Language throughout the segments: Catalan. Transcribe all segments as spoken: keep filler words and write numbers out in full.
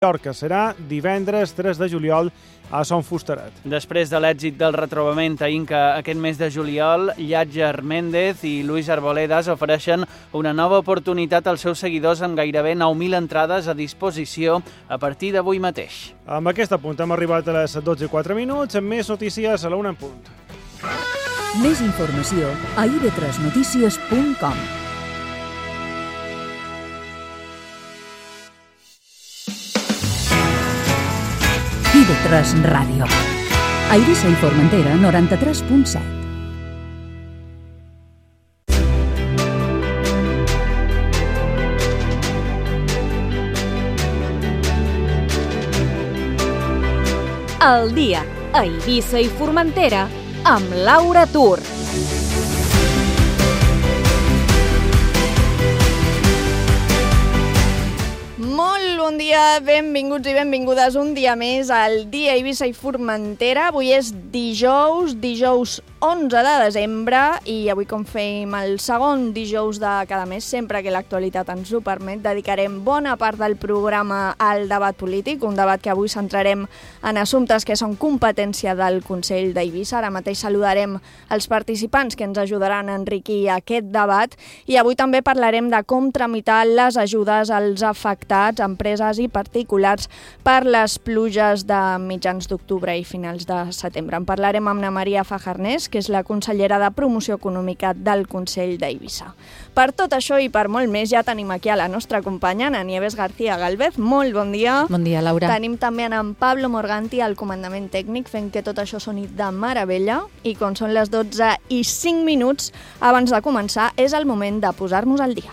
Mallorca. Serà divendres tres de juliol a Son Fustaret. Després de l'èxit del retrobament a Inca aquest mes de juliol, Llàtzer Méndez i Luis Arboledas ofereixen una nova oportunitat als seus seguidors amb gairebé nou mil entrades a disposició a partir d'avui mateix. Amb aquest punt hem arribat a les dotze i quatre minuts, amb més notícies a la una en punt. Més informació a i ve tres notícies punt com. i ve tres Ràdio. A Eivissa i Formentera, noranta-tres punt set. El dia a Eivissa i Formentera amb Laura Tur. Molt bon dia, benvinguts i benvingudes un dia més al dia Eivissa i Formentera. Avui és dijous, dijous onze de desembre i avui, com fem el segon dijous de cada mes, sempre que l'actualitat ens ho permet, dedicarem bona part del programa al debat polític, un debat que avui centrarem en assumptes que són competència del Consell d'Eivissa. Ara mateix saludarem els participants que ens ajudaran a enriquir aquest debat i avui també parlarem de com tramitar les ajudes als afectats, empreses i particulars per les pluges de mitjans d'octubre i finals de setembre. En parlarem amb Ana Maria Fajarnés, que és la consellera de Promoció Econòmica del Consell d'Eivissa. Per tot això i per molt més ja tenim aquí a la nostra companya, Ana Nieves García Galvez. Molt bon dia. Bon dia, Laura. Tenim també en Pablo Morganti al comandament tècnic fent que tot això soni de meravella i quan són les dotze i cinc minuts abans de començar és el moment de posar-nos al dia.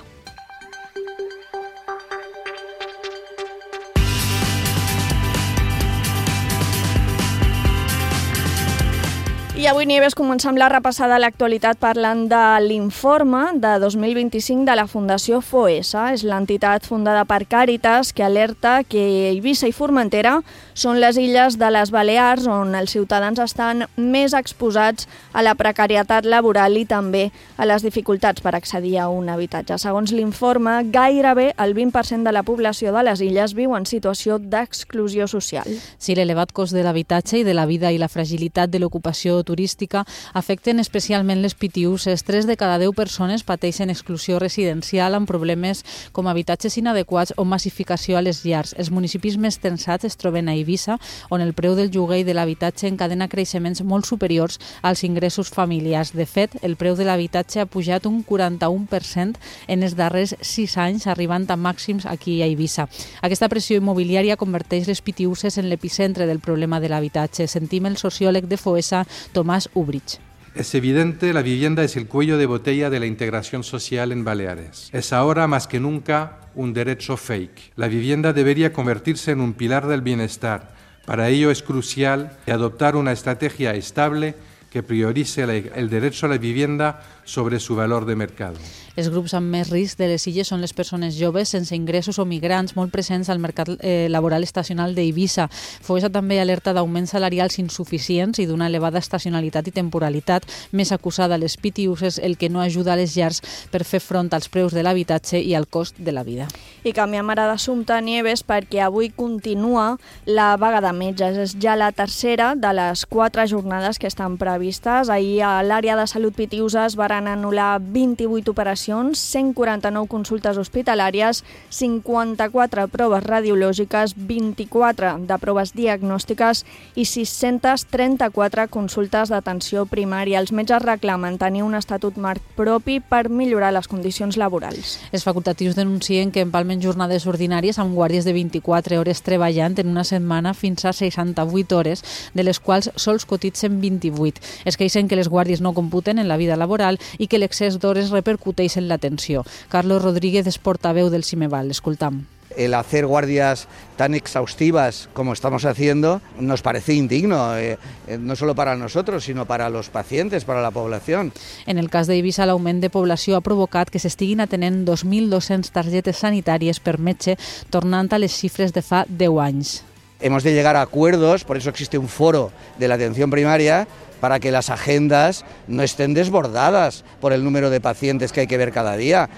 I avui, Nieves, comencem la repassada a l'actualitat parlant de l'informe de dos mil vint-i-cinc de la Fundació FOESA. És l'entitat fundada per Càritas que alerta que Eivissa i Formentera són les illes de les Balears on els ciutadans estan més exposats a la precarietat laboral i també a les dificultats per accedir a un habitatge. Segons l'informe, gairebé el vint per cent de la població de les illes viu en situació d'exclusió social. Sí, l'elevat cost de l'habitatge i de la vida i la fragilitat de l'ocupació turística afecten especialment les pitiüses. Tres de cada deu persones pateixen exclusió residencial amb problemes com habitatges inadequats o massificació a les llars. Els municipis més tensats es troben a Eivissa, on el preu del lloguer i de l'habitatge encadena creixements molt superiors als ingressos familiars. De fet, el preu de l'habitatge ha pujat un quaranta-u per cent en els darrers sis anys, arribant a màxims aquí a Eivissa. Aquesta pressió immobiliària converteix les pitiüses en l'epicentre del problema de l'habitatge. Sentim el sociòleg de FOESA, Tomás Ubrich. Es evidente, la vivienda es el cuello de botella de la integración social en Baleares. Es ahora más que nunca un derecho fake. La vivienda debería convertirse en un pilar del bienestar. Para ello es crucial adoptar una estrategia estable que priorice el derecho a la vivienda sobre su valor de mercado. Els grups amb més risc de les illes són les persones joves sense ingressos o migrants molt presents al mercat eh, laboral estacional d'Eivissa. FOESA també alerta d'augments salarials insuficients i d'una elevada estacionalitat i temporalitat, més acusada a les pitiüses, el que no ajuda a les llars per fer front als preus de l'habitatge i al cost de la vida. I canviem ara d'assumpte, Nieves, perquè avui continua la vaga de metges. És ja la tercera de les quatre jornades que estan previstes. Ahir a l'àrea de salut pitiüsa es van anul·lar vint-i-vuit operacions, cent quaranta-nou consultes hospitalàries, cinquanta-quatre proves radiològiques, vint-i-quatre de proves diagnòstiques i sis-centes trenta-quatre consultes d'atenció primària. Els metges reclamen tenir un estatut marc propi per millorar les condicions laborals. Els facultatius denuncien que empalmen jornades ordinàries amb guàrdies de vint-i-quatre hores treballant en una setmana fins a seixanta-vuit hores, de les quals sols cotitzen vint-i-vuit. Es queixen que les guàrdies no computen en la vida laboral i que l'excés d'hores repercuteix en l'atenció. Carlos Rodríguez és portaveu del Cimeval. Escoltam. El hacer guardias tan exhaustivas como estamos haciendo nos parece indigno, eh, no solo para nosotros, sino para los pacientes, para la población. En el cas d'Eivissa, l'augment de població ha provocat que s'estiguin atenent dos mil dos-centes targetes sanitàries per metge, tornant a les xifres de fa deu anys. Hemos de llegar a acuerdos, por eso existe un foro de la atención primaria, para que las agendas no estén desbordadas por el número de pacientes que hay que ver cada día.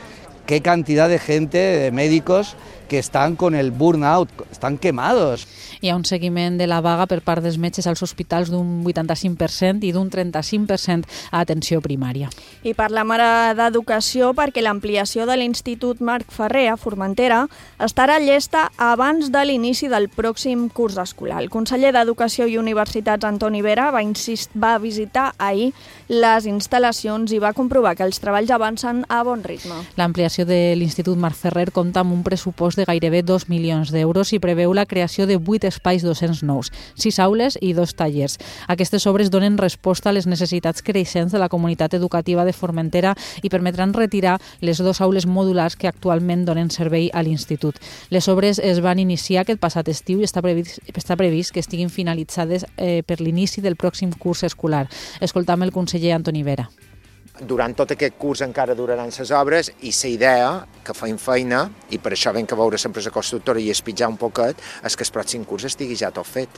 Qué cantidad de gente, de médicos, que están con el burnout, están quemados. Hi ha un seguiment de la vaga per part dels metges als hospitals d'un vuitanta-cinc per cent i d'un trenta-cinc per cent a atenció primària. I parlem ara d'educació perquè l'ampliació de l'Institut Marc Ferrer a Formentera estarà llesta abans de l'inici del pròxim curs escolar. El conseller d'Educació i Universitats, Antoni Vera, va, insist, va visitar ahir les instal·lacions i va comprovar que els treballs avancen a bon ritme. L'ampliació de l'Institut Marc Ferrer compta amb un pressupost de gairebé dos milions d'euros i preveu la creació de vuit espais docents nous, sis aules i dos tallers. Aquestes obres donen resposta a les necessitats creixents de la comunitat educativa de Formentera i permetran retirar les dues aules modulars que actualment donen servei a l'institut. Les obres es van iniciar aquest passat estiu i està previst, està previst que estiguin finalitzades eh, per l'inici del pròxim curs escolar. Escoltam el conseller Antoni Vera. Durant tot aquest curs encara duraran les obres i la idea que feim feina, i per això vam que veure l'empresa constructora i espitjar un poquet, és que el pròxim curs estigui ja tot fet.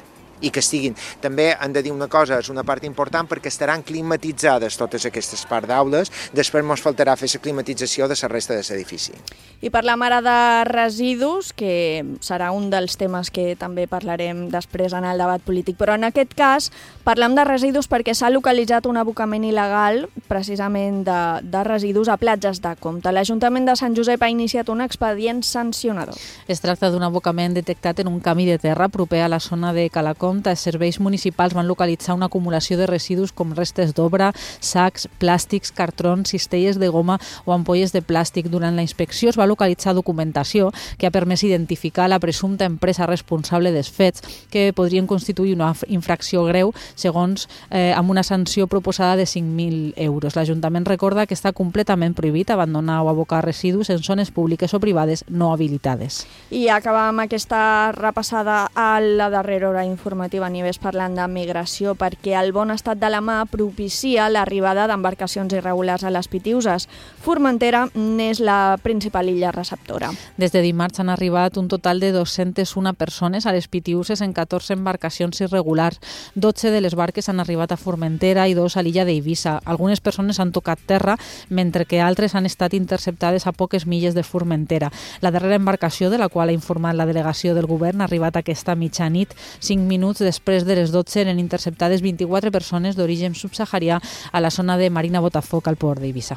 I que estiguin. També hem de dir una cosa, és una part important perquè estaran climatitzades totes aquestes parts d'aules, després ens faltarà fer la climatització de la resta de l'edifici. I parlem ara de residus, que serà un dels temes que també parlarem després en el debat polític, però en aquest cas parlem de residus perquè s'ha localitzat un abocament il·legal precisament de, de residus a platges de Comte. L'Ajuntament de Sant Josep ha iniciat un expedient sancionador. Es tracta d'un abocament detectat en un camí de terra proper a la zona de Calacom. Els serveis municipals van localitzar una acumulació de residus com restes d'obra, sacs, plàstics, cartrons, cistelles de goma o ampolles de plàstic. Durant la inspecció es va localitzar documentació que ha permès identificar la presumpta empresa responsable dels fets, que podrien constituir una infracció greu, segons eh, amb una sanció proposada de cinc mil euros. L'Ajuntament recorda que està completament prohibit abandonar o abocar residus en zones públiques o privades no habilitades. I acabam aquesta repassada a la darrera hora informativa a nivell parlant de migració perquè el bon estat de la mà propicia l'arribada d'embarcacions irregulars a les Pitiuses. Formentera n'és la principal illa receptora. Des de dimarts han arribat un total de dos-centes una persones a les Pitiuses en catorze embarcacions irregulars. dotze de les barques han arribat a Formentera i dos a l'illa d'Eivissa. Algunes persones han tocat terra, mentre que altres han estat interceptades a poques milles de Formentera. La darrera embarcació, de la qual ha informat la delegació del govern, ha arribat aquesta mitjanit. Cinc minuts després de les dotze eren interceptades vint-i-quatre persones d'origen subsaharià a la zona de Marina Botafoc al port d'Eivissa.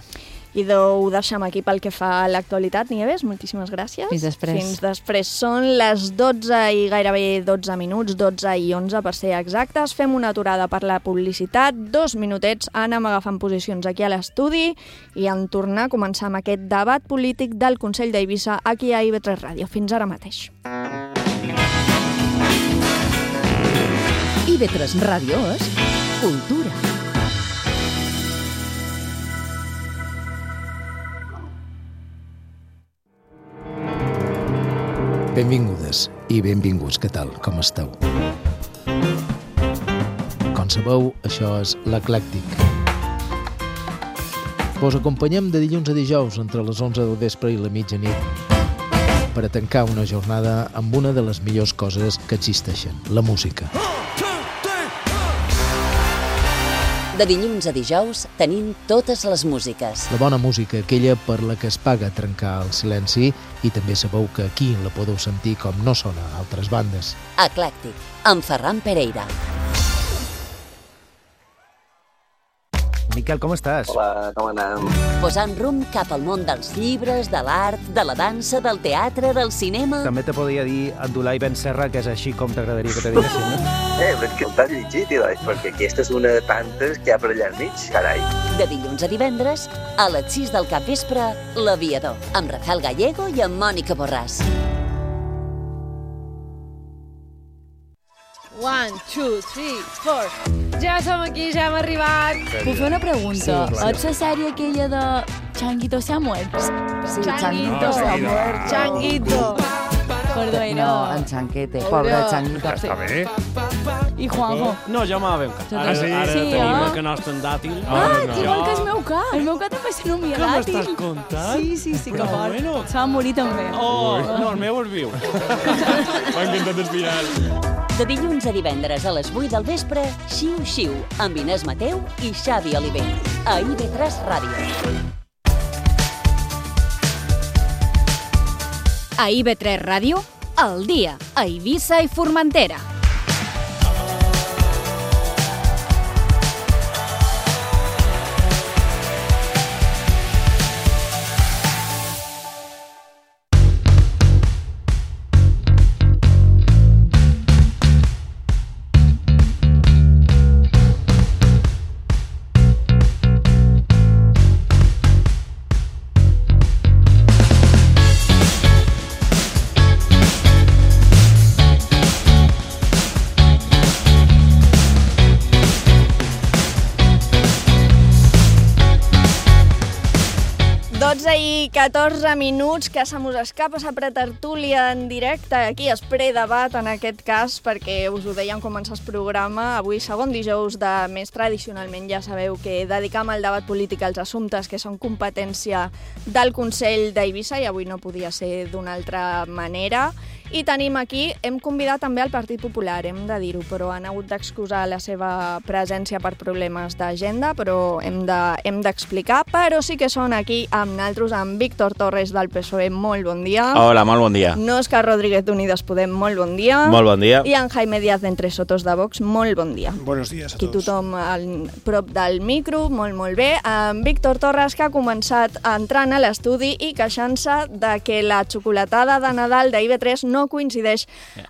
I ho deixem aquí pel que fa a l'actualitat. Nieves, moltíssimes gràcies. Fins després. Fins després. Són les dotze i gairebé dotze minuts, dotze i onze per ser exactes. Fem una aturada per la publicitat, dos minutets, anem agafant posicions aquí a l'estudi i en tornar a començar amb aquest debat polític del Consell d'Eivissa aquí a I V tres Ràdio. Fins ara mateix. I V tres Ràdio és cultura. Benvingudes i benvinguts, què tal? Com esteu? Com sabeu, això és l'Eclèctic. Vos acompanyem de dilluns a dijous entre les onze del vespre i la mitjanit per a tancar una jornada amb una de les millors coses que existeixen, la música. De dilluns a dijous tenim totes les músiques. La bona música, aquella per la que es paga trencar el silenci, i també sabeu que aquí la podeu sentir com no sona a altres bandes. Eclèctic, amb Ferran Pereira. Miquel, com estàs? Hola, com anem? Posant rumb cap al món dels llibres, de l'art, de la dansa, del teatre, del cinema... També te podria dir Abdulai Ben Serra, que és així com t'agradaria que te diguessin, no? Eh, però és que el t'has llegit, Ilai, perquè aquesta és una de tantes que hi ha per allà al mig, carai. De dilluns a divendres, a les sis del capvespre, L'Aviador, amb Rafael Gallego i amb Mònica Borràs. One, two, three, four. Ja som aquí, ja hem arribat. Puc fer una pregunta? Sí, ets la sèrie aquella de Changuito se ha muerto? Sí, Changuito se ha muerto. Changuito. Perdó, no, en Chanquete, pobre Changuito. Està bé. I Juanjo? No, jo m'ha ben cas. Ara, Sí, ara sí, tenim eh? el que nostre en dàtil. Ah, igual que el meu ca. El meu ca també se nomia Què dàtil. m'estàs contant? Sí, sí, sí, que Però fort. bueno. Se va morir també. Oh, no, el meu és viu. M'ha encantat el final. De dilluns a divendres a les vuit del vespre, Xiu Xiu, amb Inés Mateu i Xavi Oliver. A I V tres Ràdio. A I V tres Ràdio, al dia, a Eivissa i Formentera. dotze i catorze minuts, que se mos escapa la pretertúlia en directe, aquí es predebat en aquest cas, perquè us ho deia en començar el programa, avui segon dijous de mes, tradicionalment ja sabeu que dedicam el debat polític als assumptes que són competència del Consell d'Eivissa, i avui no podia ser d'una altra manera. I tenim aquí, hem convidat també el Partit Popular, hem de dir-ho, però han hagut d'excusar la seva presència per problemes d'agenda, però hem de, hem d'explicar, però sí que són aquí amb naltros, amb Víctor Torres del P S O E, molt bon dia. Hola, molt bon dia. Òscar Rodríguez d'Unides Podem, molt bon dia. Molt bon dia. I en Jaime Díaz d'Entre Sotos de Vox, molt bon dia. Buenos días a aquí tots. Tothom al prop del micro, molt, molt bé. En Víctor Torres, que ha començat entrant a l'estudi i queixant-se de que la xocolatada de Nadal d'I V tres no coincideix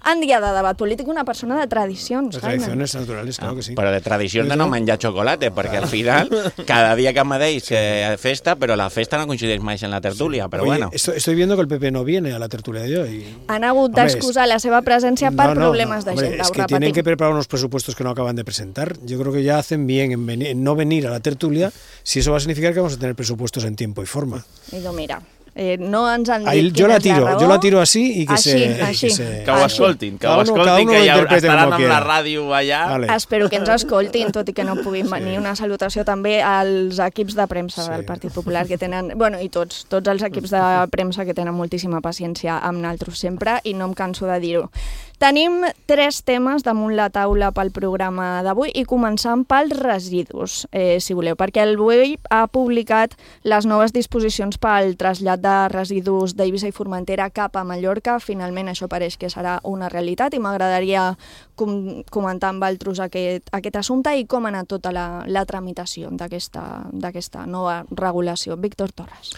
en dia de debat polític. Una persona de tradicions, De tradiciones naturales, claro que sí. Però de tradició de no menjar xocolata, perquè al final cada dia que me deis que festa, però la festa no coincideix mai en la tertúlia, però Oye, bueno. Estoy, estoy viendo que el P P no viene a la tertulia de hoy. Han hagut d'excusar la seva presència per No, no, problemes no, d'agenda, hombre, es ho que tienen repetim. que preparar unos presupuestos que no acaban de presentar. Yo creo que ya hacen bien en, venir, en no venir a la tertulia, si eso va a significar que vamos a tener presupuestos en tiempo y forma. I no, mira, eh, no ens han dit Ahí, yo quina la és la tiro, raó. yo la tiro así y que Així, se... així. Que, se, Que ho escoltin, que ho Cada uno- cada escoltin, uno que lo ja interprete estaran como amb la quiera. ràdio allà. Vale. Espero que ens escoltin, tot i que no puguin venir. Una salutació també als equips de premsa Sí. del Partit Popular, que tenen, bueno, i tots, tots els equips de premsa que tenen moltíssima paciència amb naltros sempre, i no em canso de dir-ho. Tenim tres temes damunt la taula pel programa d'avui, i començant pels residus, eh, si voleu, perquè el B O E I ha publicat les noves disposicions pel trasllat de residus d'Eivissa i Formentera cap a Mallorca. Finalment això pareix que serà una realitat, i m'agradaria com comentar amb altres aquest, aquest assumpte i com ha anat tota la, la tramitació d'aquesta d'aquesta nova regulació. Víctor Torres.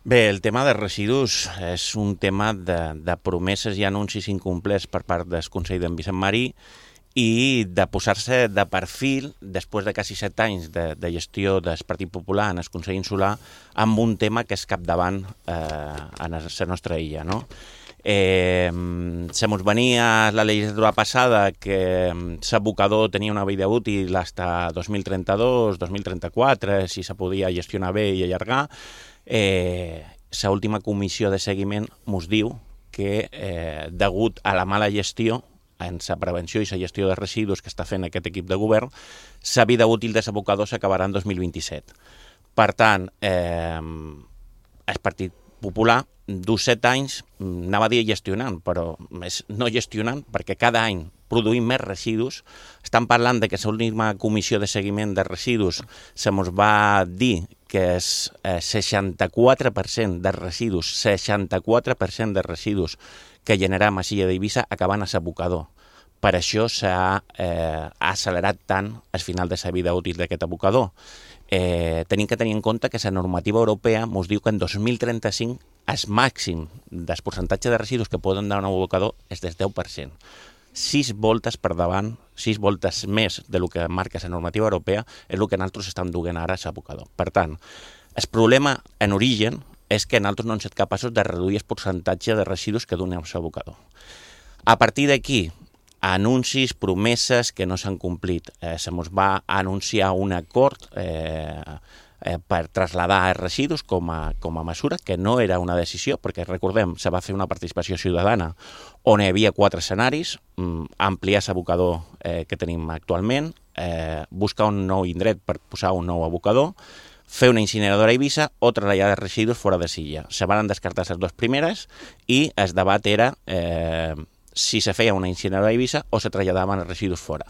Bé, el tema de residus és un tema de, de promeses i anuncis incomplerts per part del Consell d'en Vicent Marí i de posar-se de perfil, després de quasi set anys de, de gestió del Partit Popular en el Consell Insular, amb un tema que és capdavant eh, en la nostra illa, no? Eh, se mos venia la legislatura passada que l'abocador tenia una vida útil fins a dos mil trenta-dos, dos mil trenta-quatre, si se podia gestionar bé i allargar. Eh, la última comissió de seguiment mos diu que, eh, degut a la mala gestió en la prevenció i la gestió de residus que està fent aquest equip de govern, la vida útil de l'abocador s'acabarà en dos mil vint-i-set. Per tant, eh, el Partit Popular, du set anys, anava a dir gestionant, però és no gestionant, perquè cada any produïm més residus. Estan parlant de que l'última comissió de seguiment de residus se mos va dir que és eh, seixanta-quatre per cent de residus, seixanta-quatre per cent de residus que generam a l'illa d'Eivissa acaben a l'abocador. Per això s'ha eh, accelerat tant al final de la vida útil d'aquest abocador. Eh, tenim que tenir en compte que la normativa europea ens diu que en dos mil trenta-cinc el màxim del percentatge de residus que poden dar un abocador és del deu per cent. Sis voltes per davant, sis voltes més del que marca la normativa europea és el que nosaltres estem duent ara a l'abocador. Per tant, el problema en origen és que nosaltres no hem estat capaços de reduir el percentatge de residus que donem a l'abocador. A partir d'aquí, anuncis, promeses que no s'han complit. Eh, se mos va anunciar un acord eh, eh, per traslladar els residus com a, com a mesura, que no era una decisió, perquè recordem, se va fer una participació ciutadana on hi havia quatre escenaris, mm, ampliar l'abocador eh, que tenim actualment, eh, buscar un nou indret per posar un nou abocador, fer una incineradora a Eivissa o traslladar els residus fora de Silla. Se van descartar les dues primeres i el debat era eh, si se feia una incineradora a Eivissa o se traslladaven els residus fora.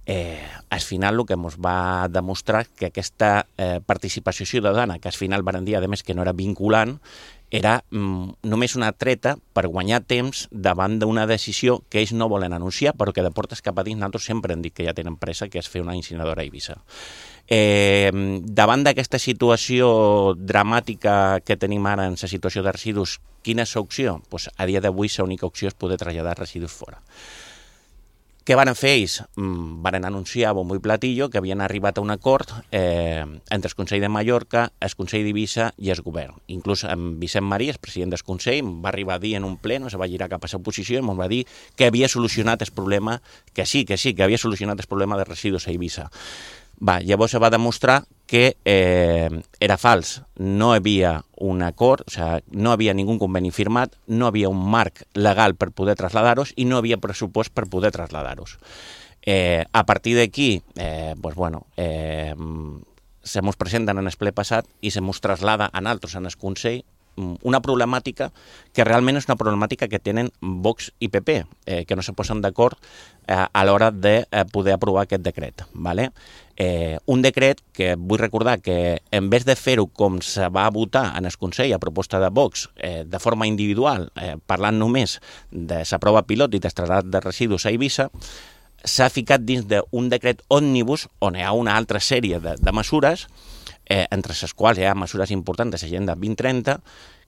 Eh, al final el que ens va demostrar que aquesta eh, participació ciutadana, que al final van dir, a més, que no era vinculant, era mm, només una treta per guanyar temps davant d'una decisió que ells no volen anunciar, però que de portes cap a dins nosaltres sempre hem dit que ja tenen pressa, que és fer una incineradora a Eivissa. Eh, davant d'aquesta situació dramàtica que tenim ara en la situació de residus, quina és l'opció? Pues a dia d'avui l'única opció és poder traslladar residus fora. Què van fer ells? Mm, van anunciar a bombo i platillo que havien arribat a un acord eh, entre el Consell de Mallorca, el Consell d'Eivissa i el govern. Inclús en Vicent Marí, el president del Consell, va arribar a dir en un ple, no se va girar cap a l'oposició, i ens va dir que havia solucionat el problema, que sí, que sí, que havia solucionat el problema de residus a Eivissa. Va, llavors se va demostrar que eh, era fals. No hi havia un acord, o sigui, no hi havia ningú conveni firmat, no hi havia un marc legal per poder traslladar-los i no hi havia pressupost per poder traslladar-los. Eh, a partir d'aquí, eh, pues bueno, eh, se mos presenten en el ple passat i se mos traslada a nosaltres en el Consell una problemàtica que realment és una problemàtica que tenen Vox i P P, eh, que no se posen d'acord eh, a l'hora de eh, poder aprovar aquest decret. ¿vale? Eh, un decret que vull recordar que en vez de fer-ho com se va votar en el Consell a proposta de Vox, eh, de forma individual, eh, parlant només de la prova pilot i del trasllat de residus a Eivissa, s'ha ficat dins d'un decret òmnibus on hi ha una altra sèrie de, de mesures, eh, entre les quals hi ha mesures importants de l'agenda vint trenta,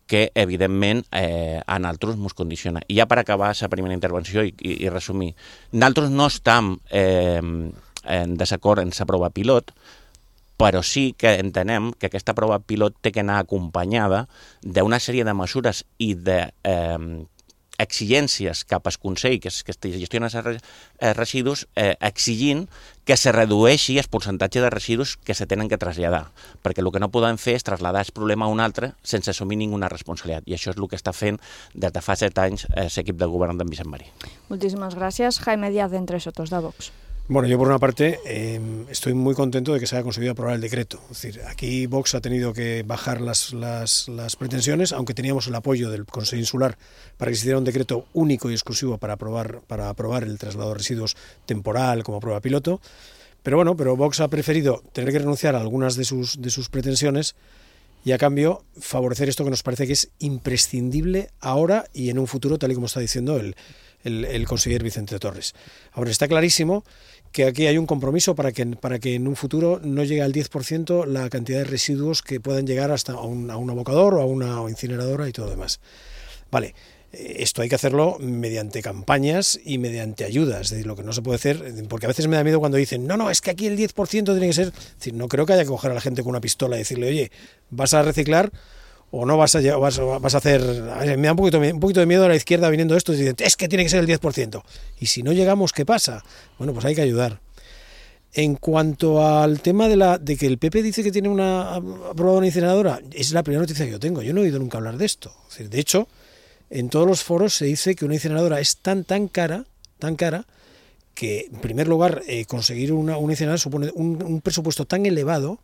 que evidentment eh, a nosaltres ens condiciona. I ja per acabar la primera intervenció i, i, i resumir, nosaltres no estem eh, en desacord en la prova pilot, però sí que entenem que aquesta prova pilot té que anar acompanyada d'una sèrie de mesures i de eh, exigències cap al Consell que, que gestiona els residus, eh, exigint que se redueixi el percentatge de residus que se tenen que traslladar, perquè el que no podem fer és traslladar el problema a un altre sense assumir ninguna responsabilitat, i això és el que està fent des de fa set anys eh, l'equip de govern d'en Vicent Marí. Muchísimas gracias. Jaime Díaz, de Entre Sotos, de Vox. Bueno, yo por una parte eh, estoy muy contento de que se haya conseguido aprobar el decreto. Es decir, aquí Vox ha tenido que bajar las, las, las pretensiones, aunque teníamos el apoyo del Consejo Insular para que se hiciera un decreto único y exclusivo para aprobar, para aprobar el traslado de residuos temporal como prueba piloto. Pero bueno, pero Vox ha preferido tener que renunciar a algunas de sus, de sus pretensiones y a cambio favorecer esto que nos parece que es imprescindible ahora y en un futuro, tal y como está diciendo el, el, el conseller Vicente Torres. Ahora, está clarísimo que aquí hay un compromiso para que, para que en un futuro no llegue al diez por ciento la cantidad de residuos que puedan llegar hasta a un, a un abocador o a una incineradora y todo lo demás. Vale, esto hay que hacerlo mediante campañas y mediante ayudas, es decir, lo que no se puede hacer, porque a veces me da miedo cuando dicen, no, no, es que aquí el diez por ciento tiene que ser, es decir, no creo que haya que coger a la gente con una pistola y decirle, oye, ¿vas a reciclar o no vas a, vas, vas a hacer? A ver, me da un poquito, un poquito de miedo a la izquierda viniendo esto y dicen, es que tiene que ser el diez por ciento. Y si no llegamos, ¿qué pasa? Bueno, pues hay que ayudar. En cuanto al tema de, la, de que el P P dice que tiene una aprobada una incineradora, es la primera noticia que yo tengo. Yo no he oído nunca hablar de esto. Es decir, de hecho, en todos los foros se dice que una incineradora es tan, tan cara, tan cara, que en primer lugar eh, conseguir una, una incineradora supone un, un presupuesto tan elevado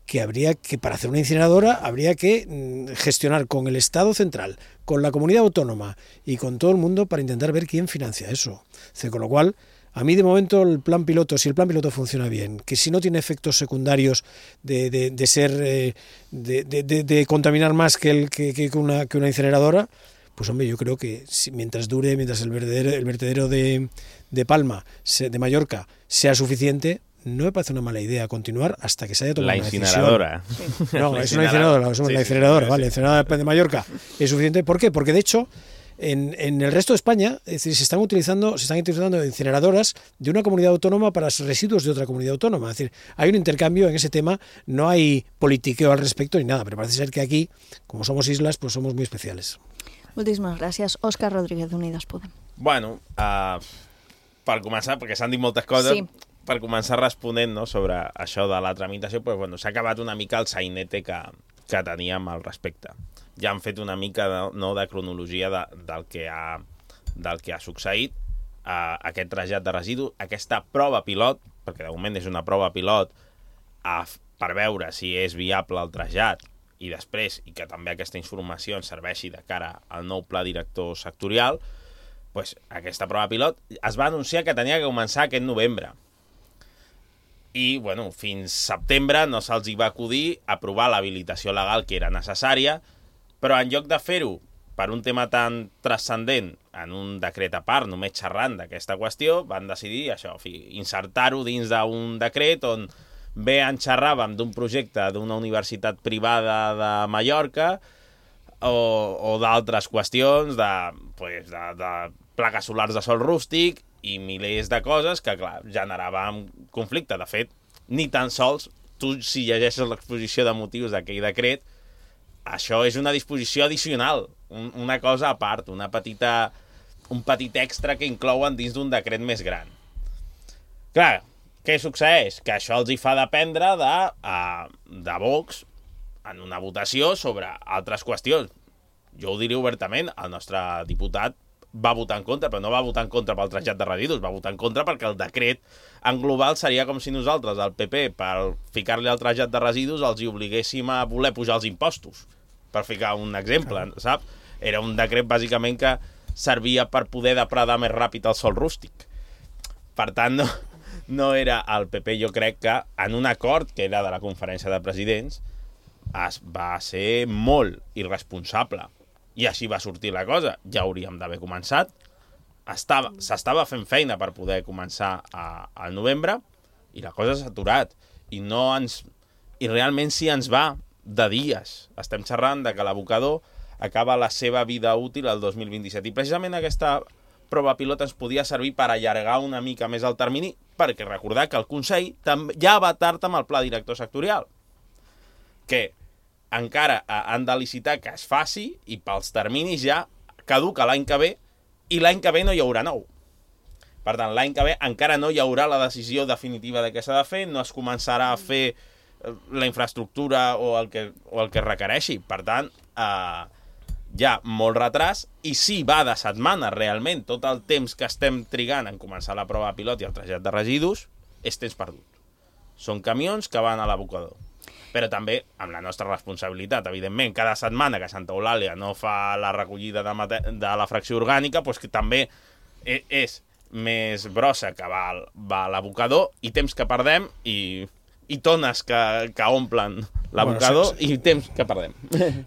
que habría que, para hacer una incineradora, habría que gestionar con el Estado central, con la comunidad autónoma y con todo el mundo para intentar ver quién financia eso. O sea, con lo cual, a mí de momento el plan piloto, si el plan piloto funciona bien, que si no tiene efectos secundarios de, de, de ser, eh, de, de, de, de contaminar más que, el, que, que, una, que una incineradora, pues hombre, yo creo que si, mientras dure, mientras el vertedero, el vertedero de, de Palma, de Mallorca, sea suficiente, no me parece una mala idea continuar hasta que se haya tomado la una decisión. incineradora. Sí. No, es una incineradora, sí, la incineradora, sí, vale, la incineradora de Mallorca es suficiente. ¿Por qué? Porque de hecho, en, en el resto de España, es decir, se están utilizando, se están utilizando incineradoras de una comunidad autónoma para residuos de otra comunidad autónoma. Es decir, hay un intercambio en ese tema, no hay politiqueo al respecto ni nada, pero parece ser que aquí, como somos islas, pues somos muy especiales. Moltíssimes gràcies. Òscar Rodríguez, d'Unides Podem. Bueno, uh, per començar, perquè s'han dit moltes coses, sí. Per començar responent, no, sobre això de la tramitació, pues, bueno, s'ha acabat una mica el sainete que, que teníem al respecte. Ja han fet una mica de, no, de cronologia de, del, que ha, del que ha succeït, uh, aquest trasllat de residus, aquesta prova pilot, perquè de moment és una prova pilot uh, per veure si és viable el trasllat, i després, i que també aquesta informació ens serveixi de cara al nou pla director sectorial, pues, aquesta prova pilot es va anunciar que tenia que començar aquest novembre. i, bueno, fins setembre no se'ls hi va acudir aprovar l'habilitació legal que era necessària, però en lloc de fer-ho per un tema tan transcendent en un decret a part, només xerrant d'aquesta qüestió, van decidir això, insertar-ho dins d'un decret on bé en xerràvem d'un projecte d'una universitat privada de Mallorca o, o d'altres qüestions de, pues, de, de plaques solars de sol rústic i milers de coses que, clar, generaven conflicte. De fet, ni tan sols, tu si llegeixes l'exposició de motius d'aquell decret, això és una disposició addicional, un, una cosa a part, una petita, un petit extra que inclouen dins d'un decret més gran. Clar, què succeeix? Que això els hi fa dependre de, de Vox en una votació sobre altres qüestions. Jo ho diré obertament, el nostre diputat va votar en contra, però no va votar en contra pel trasllat de residus, va votar en contra perquè el decret en global seria com si nosaltres, el P P, per ficar-li el trasllat de residus, els hi obliguéssim a voler pujar els impostos, per ficar un exemple, saps? Era un decret, bàsicament, que servia per poder depredar més ràpid el sòl rústic. Per tant, no, no era el P P, jo crec que en un acord que era de la conferència de presidents es va ser molt irresponsable. I així va sortir la cosa. Ja hauríem d'haver començat. Estava, s'estava fent feina per poder començar a, al novembre i la cosa s'ha aturat. I, no ens, I realment sí ens va de dies. Estem xerrant de que l'abocador acaba la seva vida útil el dos mil vint-i-set. I precisament aquesta prova pilot ens podia servir per allargar una mica més el termini, perquè recordar que el Consell ja va tard amb el pla director sectorial, que encara han de licitar que es faci i pels terminis ja caduca l'any que ve i l'any que ve no hi haurà nou. Per tant, l'any que ve encara no hi haurà la decisió definitiva de què s'ha de fer, no es començarà a fer la infraestructura o el que, o el que requereixi. Per tant, eh, hi ha molt retras i si va de setmana realment tot el temps que estem trigant en començar la prova pilot i el trasllat de residus és temps perdut. Són camions que van a l'abocador. Però també amb la nostra responsabilitat, evidentment, cada setmana que Santa Eulàlia no fa la recollida de, de la fracció orgànica, doncs que també és més brossa que va, va a l'abocador i temps que perdem i, i tones que, que omplen l'abocador bueno, sí, sí. i temps que perdem.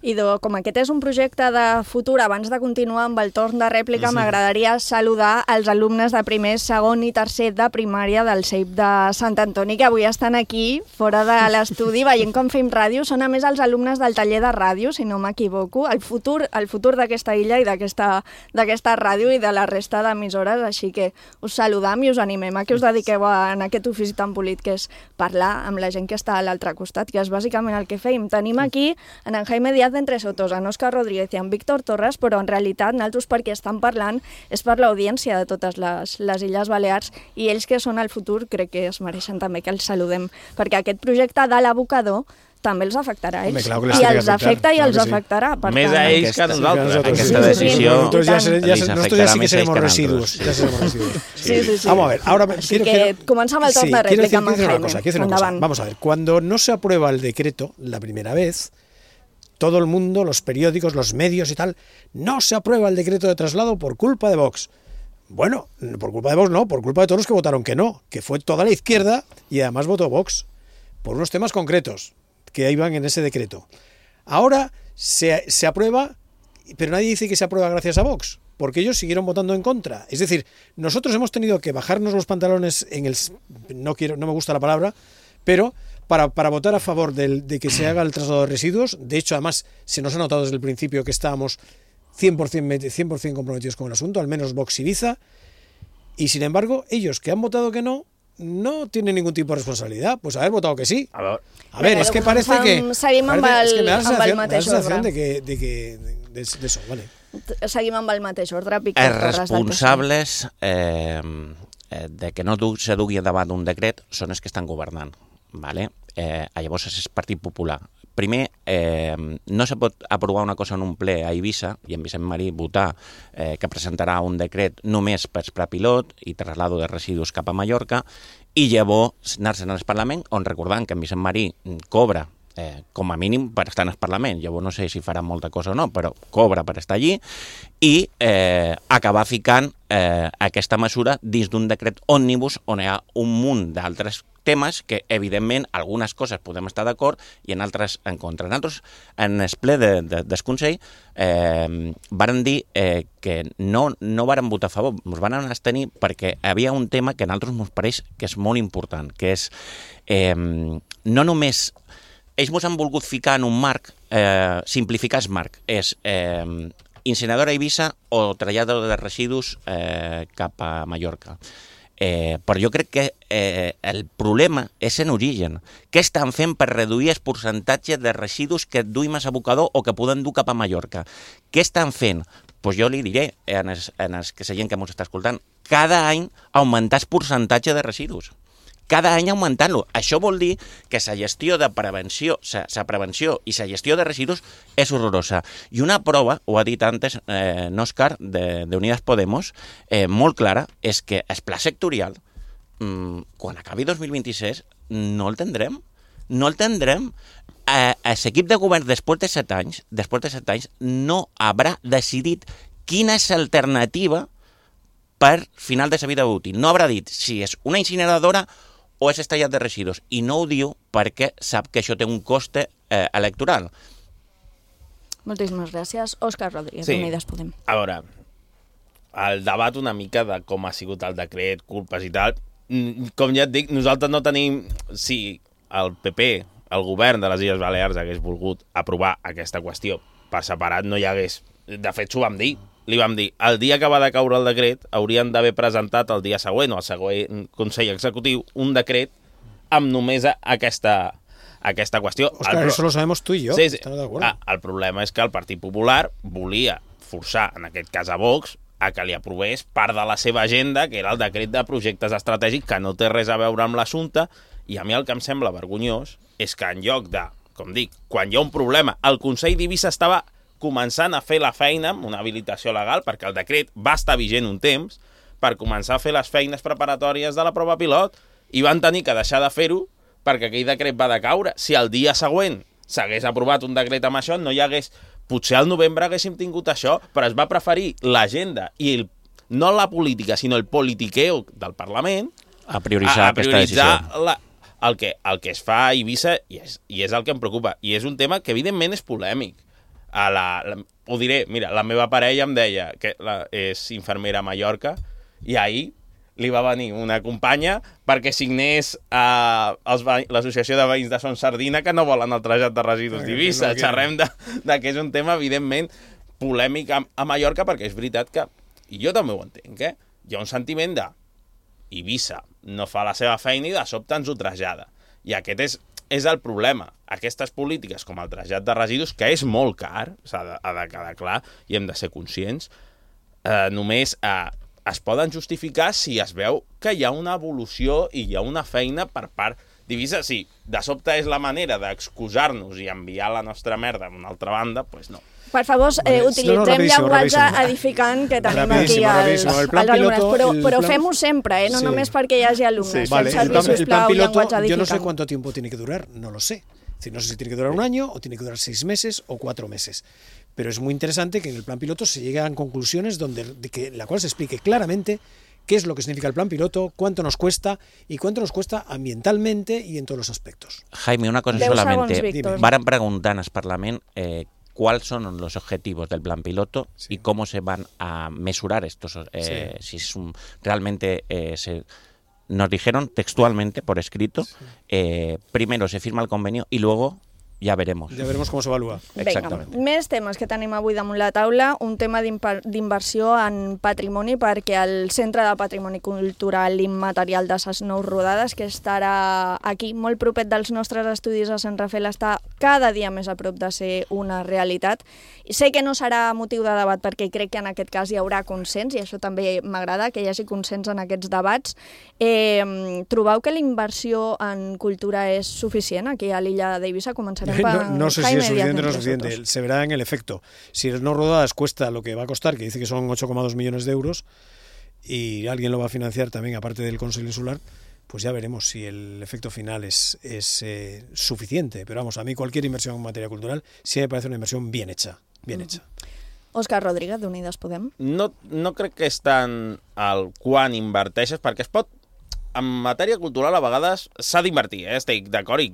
Idò, com aquest és un projecte de futur, abans de continuar amb el torn de rèplica, sí. M'agradaria saludar els alumnes de primer, segon i tercer de primària del C E I P de Sant Antoni, que avui estan aquí, fora de l'estudi, veient com fem ràdio. Són a més els alumnes del taller de ràdio, si no m'equivoco, el futur, el futur d'aquesta illa i d'aquesta ràdio i de la resta d'emissores, així que us saludam i us animem a que us dediqueu a, en aquest ofici tan polit que és parlar amb la gent que està a l'altre costat, que és bàsicament el que feim. Tenim aquí en en Jaime Díaz d'Entre Sotos, en Òscar Rodríguez i en Víctor Torres, però en realitat nosaltres perquè estan parlant és per l'audiència de totes les, les Illes Balears i ells que són el futur crec que es mereixen també que els saludem, perquè aquest projecte de l'abocador també els afectarà a ells. Home, I els afecta i els afectarà. Per Més tant, a ells que a nosaltres. Aquesta decisió sí, sí, sí. Ja, ja, nosotros ya sí que seremos residuos. Ya seremos residuos. Sí, sí, sí. Vamos a ver, ahora Así que comenzamos el torno de réplica. Quiero decir una cosa, quiero decir una cosa. Vamos a ver, cuando no se aprueba el decreto la primera vez, todo el mundo, los periódicos, los medios y tal, no se aprueba el decreto de traslado por culpa de Vox. Bueno, por culpa de Vox no, por culpa de todos los que votaron que no, que fue toda la izquierda y además votó Vox por unos temas concretos que iban en ese decreto. Ahora se, se aprueba, pero nadie dice que se aprueba gracias a Vox, porque ellos siguieron votando en contra. Es decir, nosotros hemos tenido que bajarnos los pantalones en el... No quiero, no me gusta la palabra, pero para, para votar a favor del, de que se haga el traslado de residuos. De hecho, además, se nos ha notado desde el principio que estábamos cien por ciento comprometidos con el asunto, al menos Vox Ibiza, y sin embargo, ellos que han votado que no, no tienen ningún tipo de responsabilidad. Pues haber votado que sí. A ver, a ver es que parece que... Seguim amb el, es que me da la amb el sensación, mateix me da la sensación ordre. de que, de, que, de, de eso, vale. Seguim amb el mateix ordre. Víctor Els Torres, responsables eh, de que no se dugui davant un decret són els que estan governant. Vale? Eh, llavors és el Partit Popular. Primer, eh, no se pot aprovar una cosa en un ple a Eivissa i en Vicent Marí votar eh, que presentarà un decret només per pla pilot i traslado de residus cap a Mallorca i llavors anar-se'n al Parlament on recordant que en Vicent Marí cobra eh, com a mínim per estar en el Parlament. Llavors no sé si faran molta cosa o no, però cobra per estar allí, i eh, acabar ficant eh, aquesta mesura dins d'un decret òmnibus on hi ha un munt d'altres temes que, evidentment, algunes coses podem estar d'acord i en altres en contra. Nosaltres, en el ple de, de, del Consell, eh, varen dir eh, que no, no varen votar a favor, ens van abstenir perquè hi havia un tema que a nosaltres ens pareix que és molt important, que és eh, no només... Ells ens han volgut ficar en un marc, eh, simplificar el marc, és eh, incineradora a Eivissa o trasllat de residus eh, cap a Mallorca. Eh, però jo crec que eh, el problema és en origen. Què estan fent per reduir el percentatge de residus que duim a abocador o que poden dur cap a Mallorca? Què estan fent? Pues jo li diré en els, en els que la gent que ens està escoltant, cada any augmentar el percentatge de residus. Cada any augmentant-lo. Això vol dir que la gestió de prevenció, la prevenció i la gestió de residus és horrorosa. I una prova, ho ha dit antes eh, Òscar, de, de Unidas Podemos, eh, molt clara, és que el pla sectorial, mmm, quan acabi dos mil vint-i-sis, no el tindrem. No el tindrem. Eh, l'equip de govern, després de set anys, després de set anys, no haurà decidit quina és l'alternativa per final de la vida útil. No haurà dit si és una incineradora o és estallat de residus, i no ho diu perquè sap que això té un coste eh, electoral. Moltíssimes gràcies. Òscar Rodríguez, sí. Unides Podem. A veure, el debat una mica de com ha sigut el decret, culpes i tal, com ja et dic, nosaltres no tenim... Si el P P, el govern de les Illes Balears, hagués volgut aprovar aquesta qüestió per separat, no hi hagués... De fet, s'ho vam dir. Li vam dir, el dia que va decaure el decret haurien d'haver presentat el dia següent o el següent Consell Executiu un decret amb només aquesta, aquesta qüestió. Òscar, el, eso lo sabemos tú y yo. Sí, sí. Ah, el problema és que el Partit Popular volia forçar, en aquest cas a Vox, a que li aprovés part de la seva agenda, que era el decret de projectes estratègics, que no té res a veure amb l'assumpte, i a mi el que em sembla vergonyós és que en lloc de, com dic, quan hi ha un problema, el Consell d'Eivissa estava començant a fer la feina amb una habilitació legal, perquè el decret va estar vigent un temps, per començar a fer les feines preparatòries de la prova pilot, i van tenir que deixar de fer-ho perquè aquell decret va decaure. Si el dia següent s'hagués aprovat un decret amb això, no hi hagués... Potser al novembre haguéssim tingut això, però es va preferir l'agenda i el, no la política, sinó el politiqueo del Parlament a prioritzar, a, a prioritzar aquesta decisió. La, el, que, el que es fa a Eivissa, i és, i és el que em preocupa. I és un tema que, evidentment, és polèmic. A la, la, ho diré, mira, la meva parella em deia que la, és infermera a Mallorca i ahir li va venir una companya perquè signés a l'Associació de Veïns de Son Sardina que no volen el trasllat de residus d'Eivissa. No xerrem de, de que és un tema, evidentment, polèmic a, a Mallorca, perquè és veritat que, i jo també ho entenc, eh? Hi ha un sentiment de Eivissa no fa la seva feina i de sobte ens ho trasllada. I aquest és és el problema. Aquestes polítiques com el trasllat de residus, que és molt car, s'ha de, ha de quedar clar, i hem de ser conscients, eh, només eh, es poden justificar si es veu que hi ha una evolució i hi ha una feina per part d'Eivissa. Si de sobte és la manera d'excusar-nos i enviar la nostra merda a una altra banda, doncs pues no. Per favor, eh, utilitzem no, no, llenguatge edificant que tenim aquí als, el als alumnes, piloto, però, però plan... fem-ho sempre, eh? no sí. només perquè hi hagi alumnes. Sí. Vale, Fem el, plan, el plan piloto, yo no sé cuánto tiempo tiene que durar, no lo sé. Es decir, no sé si tiene que durar un año o tiene que durar seis meses o cuatro meses. Pero es muy interesante que en el plan piloto se lleguen a conclusiones donde, de que, en la cual se explique claramente qué es lo que significa el plan piloto, cuánto nos cuesta y cuánto nos cuesta ambientalmente y en todos los aspectos. Jaime, una cosa solamente. Van preguntar al Parlament eh, cuáles son los objetivos del plan piloto sí. y cómo se van a mesurar estos, eh, sí. si es un, realmente eh, se, nos dijeron textualmente por escrito, sí. eh, primero se firma el convenio y luego ja veremos. Ja veremos com s'evalua. Exactament. Vinga, més temes que tenim avui damunt la taula, un tema d'inversió en patrimoni, perquè el Centre de Patrimoni Cultural Immaterial de Ses Nou Rodades, que estarà aquí molt propet dels nostres estudis a Sant Rafael, està cada dia més a prop de ser una realitat. Sé que no serà motiu de debat perquè crec que en aquest cas hi haurà consens, i això també m'agrada, que hi hagi consens en aquests debats. Eh, trobeu que la inversió en cultura és suficient aquí a l'illa d'Eivissa? Començarem No, no sé si es suficiente o no es suficiente, se verá en el efecto. Si el No Rodadas cuesta lo que va a costar, que dice que son ocho coma dos millones de euros, y alguien lo va a financiar también, aparte del Consell Insular, pues ya veremos si el efecto final es, es eh, suficiente. Pero vamos, a mí cualquier inversión en materia cultural sí me parece una inversión bien hecha, bien hecha. Òscar Rodríguez, d'Unides Podem. No, no crec que és tant el quan inverteixes, perquè es pot... En matèria cultural, a vegades, s'ha d'invertir, eh? Estic d'acord, i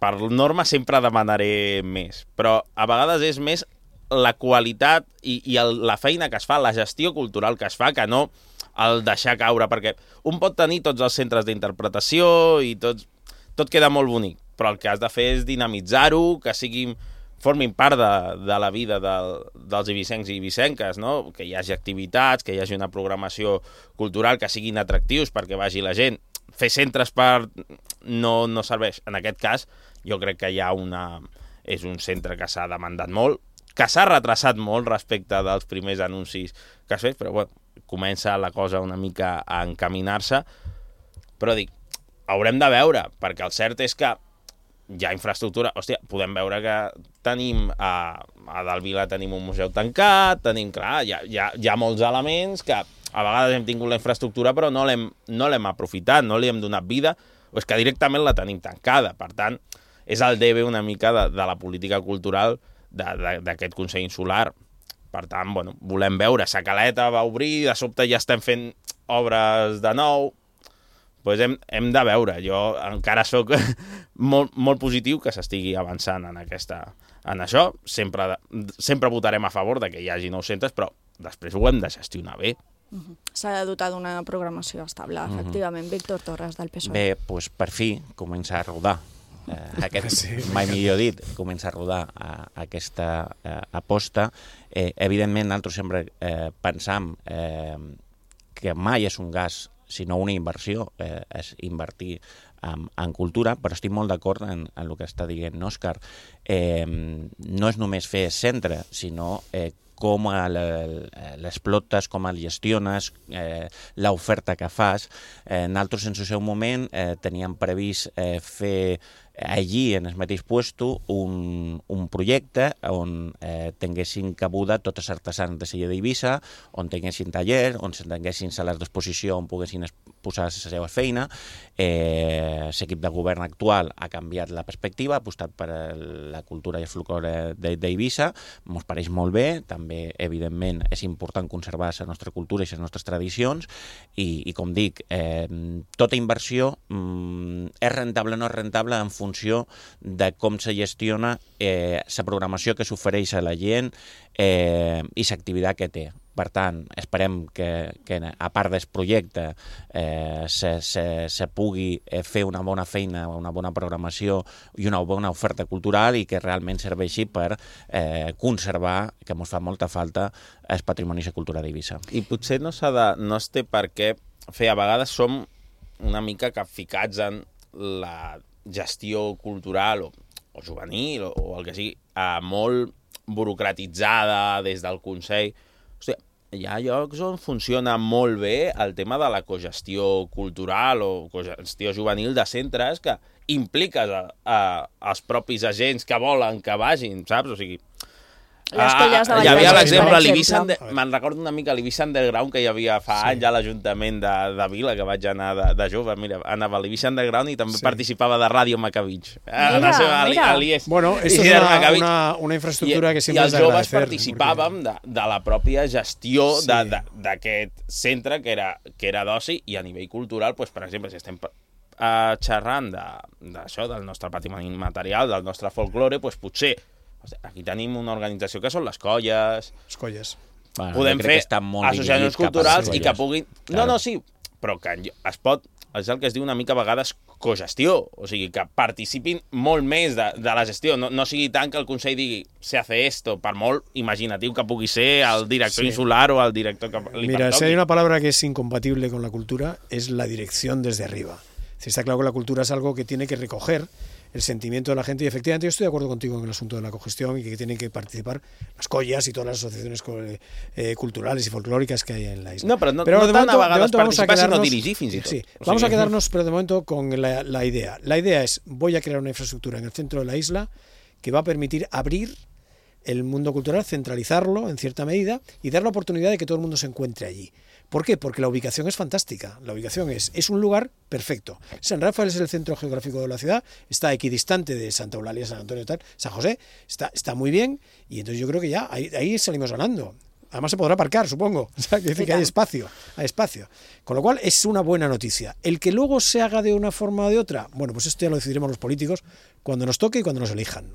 per norma sempre demanaré més. Però a vegades és més la qualitat i, i el, la feina que es fa, la gestió cultural que es fa, que no el deixar caure, perquè un pot tenir tots els centres d'interpretació i tot, tot queda molt bonic, però el que has de fer és dinamitzar-ho, que siguin... formin part de, de la vida del, dels ibicencs i ibicenques, no? Que hi hagi activitats, que hi hagi una programació cultural, que siguin atractius perquè vagi la gent. Fer centres per... no, no serveix. En aquest cas, jo crec que hi ha una... és un centre que s'ha demandat molt, que s'ha retrasat molt respecte dels primers anuncis que has fet, però bueno, comença la cosa una mica a encaminar-se. Però dic, haurem de veure, perquè el cert és que hi ha infraestructura. Hòstia, podem veure que tenim a, a Dalvila tenim un museu tancat, tenim, clar, hi ha, hi ha, hi ha molts elements que a vegades hem tingut la infraestructura però no l'hem no l'hem aprofitat, no li hem donat vida, o és que directament la tenim tancada. Per tant, és el debe una mica de, de la política cultural d'aquest Consell Insular. Per tant, bueno, volem veure. Sa Caleta va obrir, de sobte ja estem fent obres de nou, pues hem, hem de veure. Jo encara sóc molt, molt positiu que s'estigui avançant en, aquesta, en això. Sempre, sempre votarem a favor de que hi hagi nous centres, però després ho hem de gestionar bé. Uh-huh. S'ha de dotar d'una programació estable, uh-huh. efectivament. Víctor Torres, del P S O E. Bé, doncs per fi comença a rodar. Eh, aquest, sí, mai millor dit, comença a rodar a, a aquesta eh, aposta. Eh, evidentment, nosaltres sempre eh, pensam eh, que mai és un gas sinó una inversió, eh, és invertir en, en cultura, però estic molt d'acord en, en el que està dient Òscar. Eh, no és només fer centre, sinó eh, com l'explotes, com el gestiones, eh, l'oferta que fas. Eh, nosaltres, en el seu moment, eh, teníem previst eh, fer allí, en el mateix puesto, un, un projecte on eh, tinguessin cabuda tots els artesans de Sella d'Eivissa, on tinguessin taller, on tinguessin sales d'exposició on poguessin posar la seva feina. Eh, l'equip de govern actual ha canviat la perspectiva, ha apostat per la cultura i el folklore d'Eivissa, ens pareix molt bé, també, evidentment, és important conservar la nostra cultura i les nostres tradicions, i, i com dic, eh, tota inversió mm, és rentable o no és rentable en funció funció de com se gestiona eh, la programació que s'ofereix a la gent eh, i l'activitat que té. Per tant, esperem que, que a part del projecte eh, se, se, se pugui fer una bona feina, una bona programació i una bona oferta cultural i que realment serveixi per eh, conservar, que ens fa molta falta, el patrimoni i la cultura d'Eivissa. I potser no s'ha de, no es té per què fer, a vegades som una mica capficats en la gestió cultural o, o juvenil o, o el que sigui, eh, molt burocratitzada des del Consell. Hòstia, hi ha llocs on funciona molt bé el tema de la cogestió cultural o cogestió juvenil de centres que impliques a, a, als propis agents que volen que vagin, saps? O sigui, les colles de Hi havia l'exemple, me'n recordo una mica l'Eivissa Underground que hi havia fa sí. anys a l'Ajuntament de, de Vila, que vaig anar de, de jove, mira, anava a l'Eivissa Underground i també sí. participava de Ràdio Macavitx. Mira, seva, mira. Ali, ali bueno, això és una, una, una infraestructura I, que sempre és d'agradecer. I els joves participàvem perquè... de, de la pròpia gestió sí. d'aquest centre que era, que era d'oci, i a nivell cultural, doncs, per exemple, si estem uh, xerrant d'això, de, del nostre patrimoni material, del nostre folklore, doncs potser aquí tenim una organització que són les colles. Les colles. Bueno, podem fer associacions culturals i que puguin... Claro. No, no, sí, però que es pot... És el que es diu una mica a vegades cogestió, o sigui, que participin molt més de, de la gestió. No, no sigui tant que el Consell digui se hace esto, per molt imaginatiu que pugui ser el director sí. insular o el director que li Mira, pertoqui. Si hay una palabra que es incompatible con la cultura, es la dirección desde arriba. Si está claro que la cultura es algo que tiene que recoger el sentimiento de la gente, y efectivamente yo estoy de acuerdo contigo en el asunto de la cogestión y que tienen que participar las collas y todas las asociaciones eh, culturales y folclóricas que hay en la isla. No, pero no, pero no de momento, de momento vamos a quedarnos, dirigir, fins i tot. Sí, o vamos sigui... a quedarnos, pero de momento con la, la idea. La idea es, voy a crear una infraestructura en el centro de la isla que va a permitir abrir el mundo cultural, centralizarlo en cierta medida y dar la oportunidad de que todo el mundo se encuentre allí. ¿Por qué? Porque la ubicación es fantástica. La ubicación es, es un lugar perfecto. San Rafael es el centro geográfico de la ciudad, está equidistante de Santa Eulalia, San Antonio, tal, San José, está, está muy bien, y entonces yo creo que ya ahí, ahí salimos ganando. Además se podrá aparcar, supongo. O sea, que dice que hay espacio, hay espacio. Con lo cual es una buena noticia. El que luego se haga de una forma o de otra, bueno, pues esto ya lo decidiremos los políticos cuando nos toque i quan nos elijan.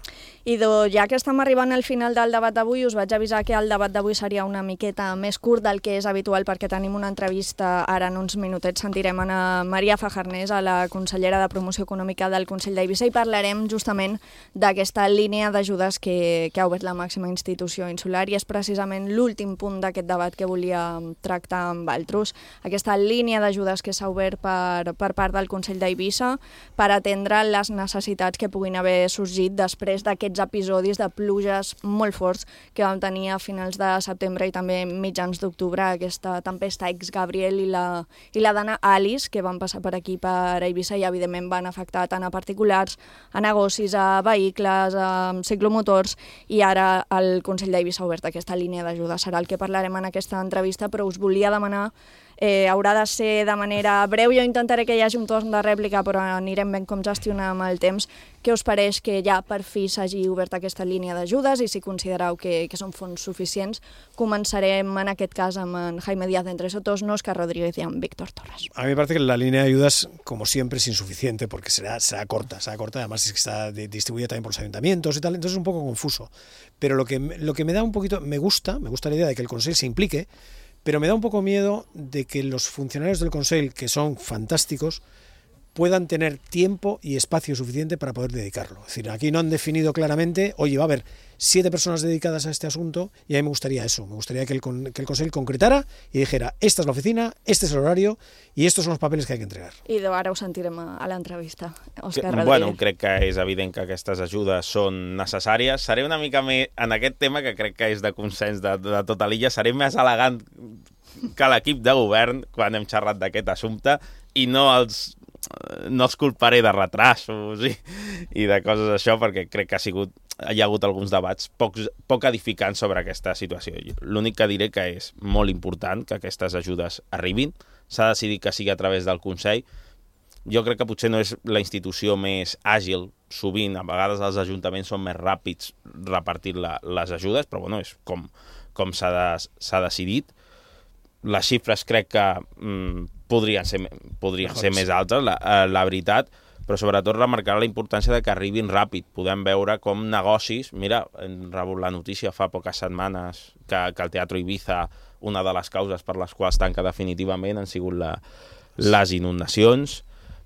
Idò, ja que estem arribant al final del debat d'avui, us vaig avisar que el debat d'avui seria una miqueta més curt del que és habitual perquè tenim una entrevista, ara en uns minutets sentirem a Maria Fajarnés, a la consellera de Promoció Econòmica del Consell d'Eivissa, i parlarem justament d'aquesta línia d'ajudes que, que ha obert la màxima institució insular, i és precisament l'últim punt d'aquest debat que volia tractar amb altres, aquesta línia d'ajudes que s'ha obert per, per part del Consell d'Eivissa per atendre les necessitats que puguin haver sorgit després d'aquests episodis de pluges molt forts que vam tenir a finals de setembre i també mitjans d'octubre, aquesta tempesta ex-Gabriel i la, i la dana Alice, que van passar per aquí, per Eivissa, i evidentment van afectar tant a particulars, a negocis, a vehicles, a ciclomotors, i ara el Consell d'Eivissa ha obert aquesta línia d'ajuda. Serà el que parlarem en aquesta entrevista, però us volia demanar, eh, haurà de ser de manera breu, jo intentaré que hi hagi un torn de rèplica, però anirem ben com gestionar amb el temps. Què us pareix que ja per fi s'hagi obert aquesta línia d'ajudes i si considereu que, que són fons suficients? Començarem en aquest cas amb en Jaime Díaz d'Entre Sotos, Óscar Rodríguez y Víctor Torres. A mí me parece que la línea de ayudas, como siempre, es insuficiente porque será, será corta, será corta, además es que está distribuida también por los ayuntamientos y tal, entonces es un poco confuso. Pero lo que, lo que me da un poquito, me gusta, me gusta la idea de que el Consell se implique, pero me da un poco miedo de que los funcionarios del Consell, que son fantásticos, puedan tener tiempo y espacio suficiente para poder dedicarlo. Es decir, aquí no han definido claramente, oye, va a haber siete personas dedicadas a este asunto, y a mí me gustaría eso, me gustaría que el, que el Consell concretara y dijera, esta es la oficina, este es el horario y estos son los papeles que hay que entregar. I ara ho sentirem a, a l'entrevista. Òscar Rodríguez. Bueno, crec que és evident que aquestes ajudes són necessàries. Seré una mica més, en aquest tema, que crec que és de consens de, de tota l'illa, seré més elegant que l'equip de govern quan hem xerrat d'aquest assumpte, i no els no els culparé de retrasos i, i de coses això, perquè crec que ha sigut, hi ha hagut alguns debats poc, poc edificants sobre aquesta situació. L'únic que diré que és molt important que aquestes ajudes arribin. S'ha decidit que sigui a través del Consell. Jo crec que potser no és la institució més àgil. Sovint, a vegades els ajuntaments són més ràpids repartint la, les ajudes, però bueno, és com, com s'ha de, s'ha decidit. Les xifres crec que mm, podrien ser, podrien ser més altes, la, la veritat, però sobretot remarcar la importància de que arribin ràpid. Podem veure com negocis, mira, hem rebut la notícia fa poques setmanes que, que el Teatro Ibiza, una de les causes per les quals tanca definitivament han sigut la, les inundacions.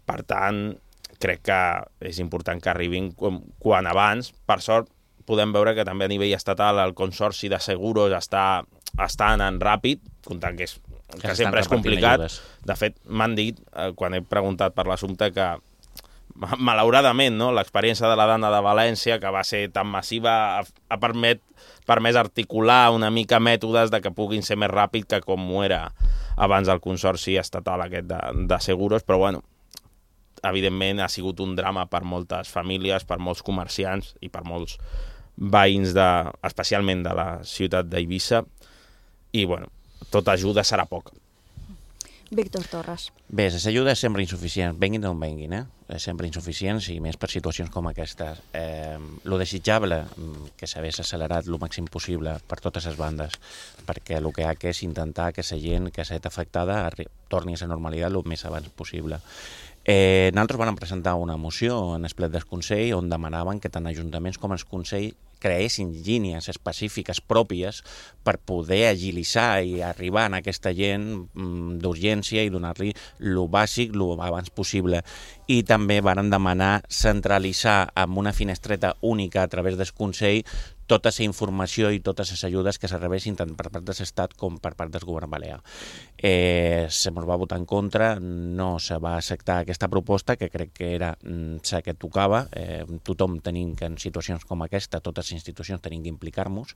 Per tant, crec que és important que arribin com, quan abans. Per sort, podem veure que també a nivell estatal el Consorci de Seguros està, està anant ràpid, comptant que, és, que, que sempre és complicat. Ajudes. De fet, m'han dit, eh, quan he preguntat per l'assumpte, que malauradament, no, l'experiència de la Dana de València, que va ser tan massiva, ha, ha permet, permès articular una mica mètodes de que puguin ser més ràpid que com ho era abans el Consorci estatal aquest de, de Seguros, però bueno, evidentment ha sigut un drama per moltes famílies, per molts comerciants i per molts veïns, de, especialment de la ciutat d'Eivissa, i bueno, tota ajuda serà poca. Víctor Torres. Bé, les ajudes sempre insuficients, venguin d'on venguin, eh? Sempre insuficients, i més per situacions com aquestes. Eh, lo desitjable, que s'hagués accelerat el màxim possible per totes les bandes, perquè el que ha que és intentar que la gent que s'ha estat afectada torni a la normalitat el més abans possible. Eh, nosaltres vam presentar una moció en el ple del Consell on demanaven que tant ajuntaments com el Consell creessin línies específiques pròpies per poder agilitzar i arribar a aquesta gent d'urgència i donar-li el bàsic el abans possible. I també van demanar centralitzar amb una finestreta única a través del Consell tota la informació i totes les ajudes que se rebessin tant per part de l'Estat com per part del govern balear. Eh, se ens va votar en contra, no se va acceptar aquesta proposta, que crec que era la que tocava. Eh, tothom tenim que en situacions com aquesta, totes les institucions tenim que implicar-nos.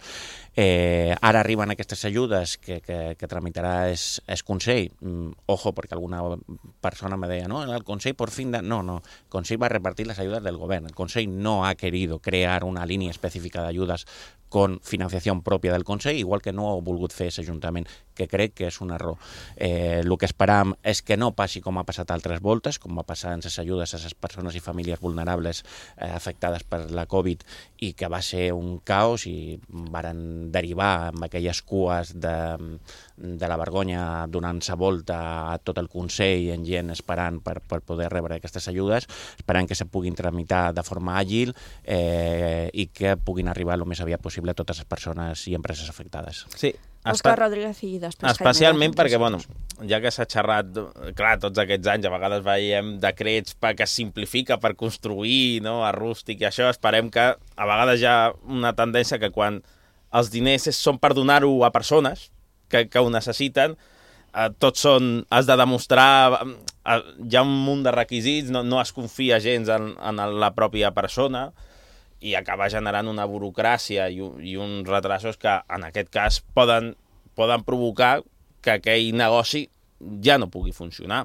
Eh, ara arriben aquestes ajudes que, que, que tramitarà el, el Consell. Mm, ojo, perquè alguna persona me deia, no, el Consell por fin... De... No, no, el Consell va repartir les ajudes del govern. El Consell no ha querido crear una línia específica de ayudas ayudas con financiació pròpia del Consell, igual que no ha volgut fer l'Ajuntament, que crec que és un error. Eh, el que esperam és que no passi com ha passat altres voltes, com va passar en les ajudes a les persones i famílies vulnerables eh, afectades per la Covid, i que va ser un caos i varen derivar amb aquelles cues de, de la vergonya donant-se volta a tot el Consell en gent esperant per, per poder rebre aquestes ajudes, esperant que se puguin tramitar de forma àgil eh, i que puguin arribar el més aviat possible a totes les persones i empreses afectades. Sí. Òscar Rodríguez i després Especialment perquè, bueno, ja que s'ha xerrat, clar, tots aquests anys, a vegades veiem decrets que es simplifica per construir, no?, a rústic i això, esperem que a vegades hi ha una tendència que quan els diners són per donar-ho a persones que, que ho necessiten, eh, tots són, has de demostrar, eh, hi ha un munt de requisits, no, no es confia gens en, en la pròpia persona, i acaba generant una burocràcia i, i uns retrasos que, en aquest cas, poden, poden provocar que aquell negoci ja no pugui funcionar.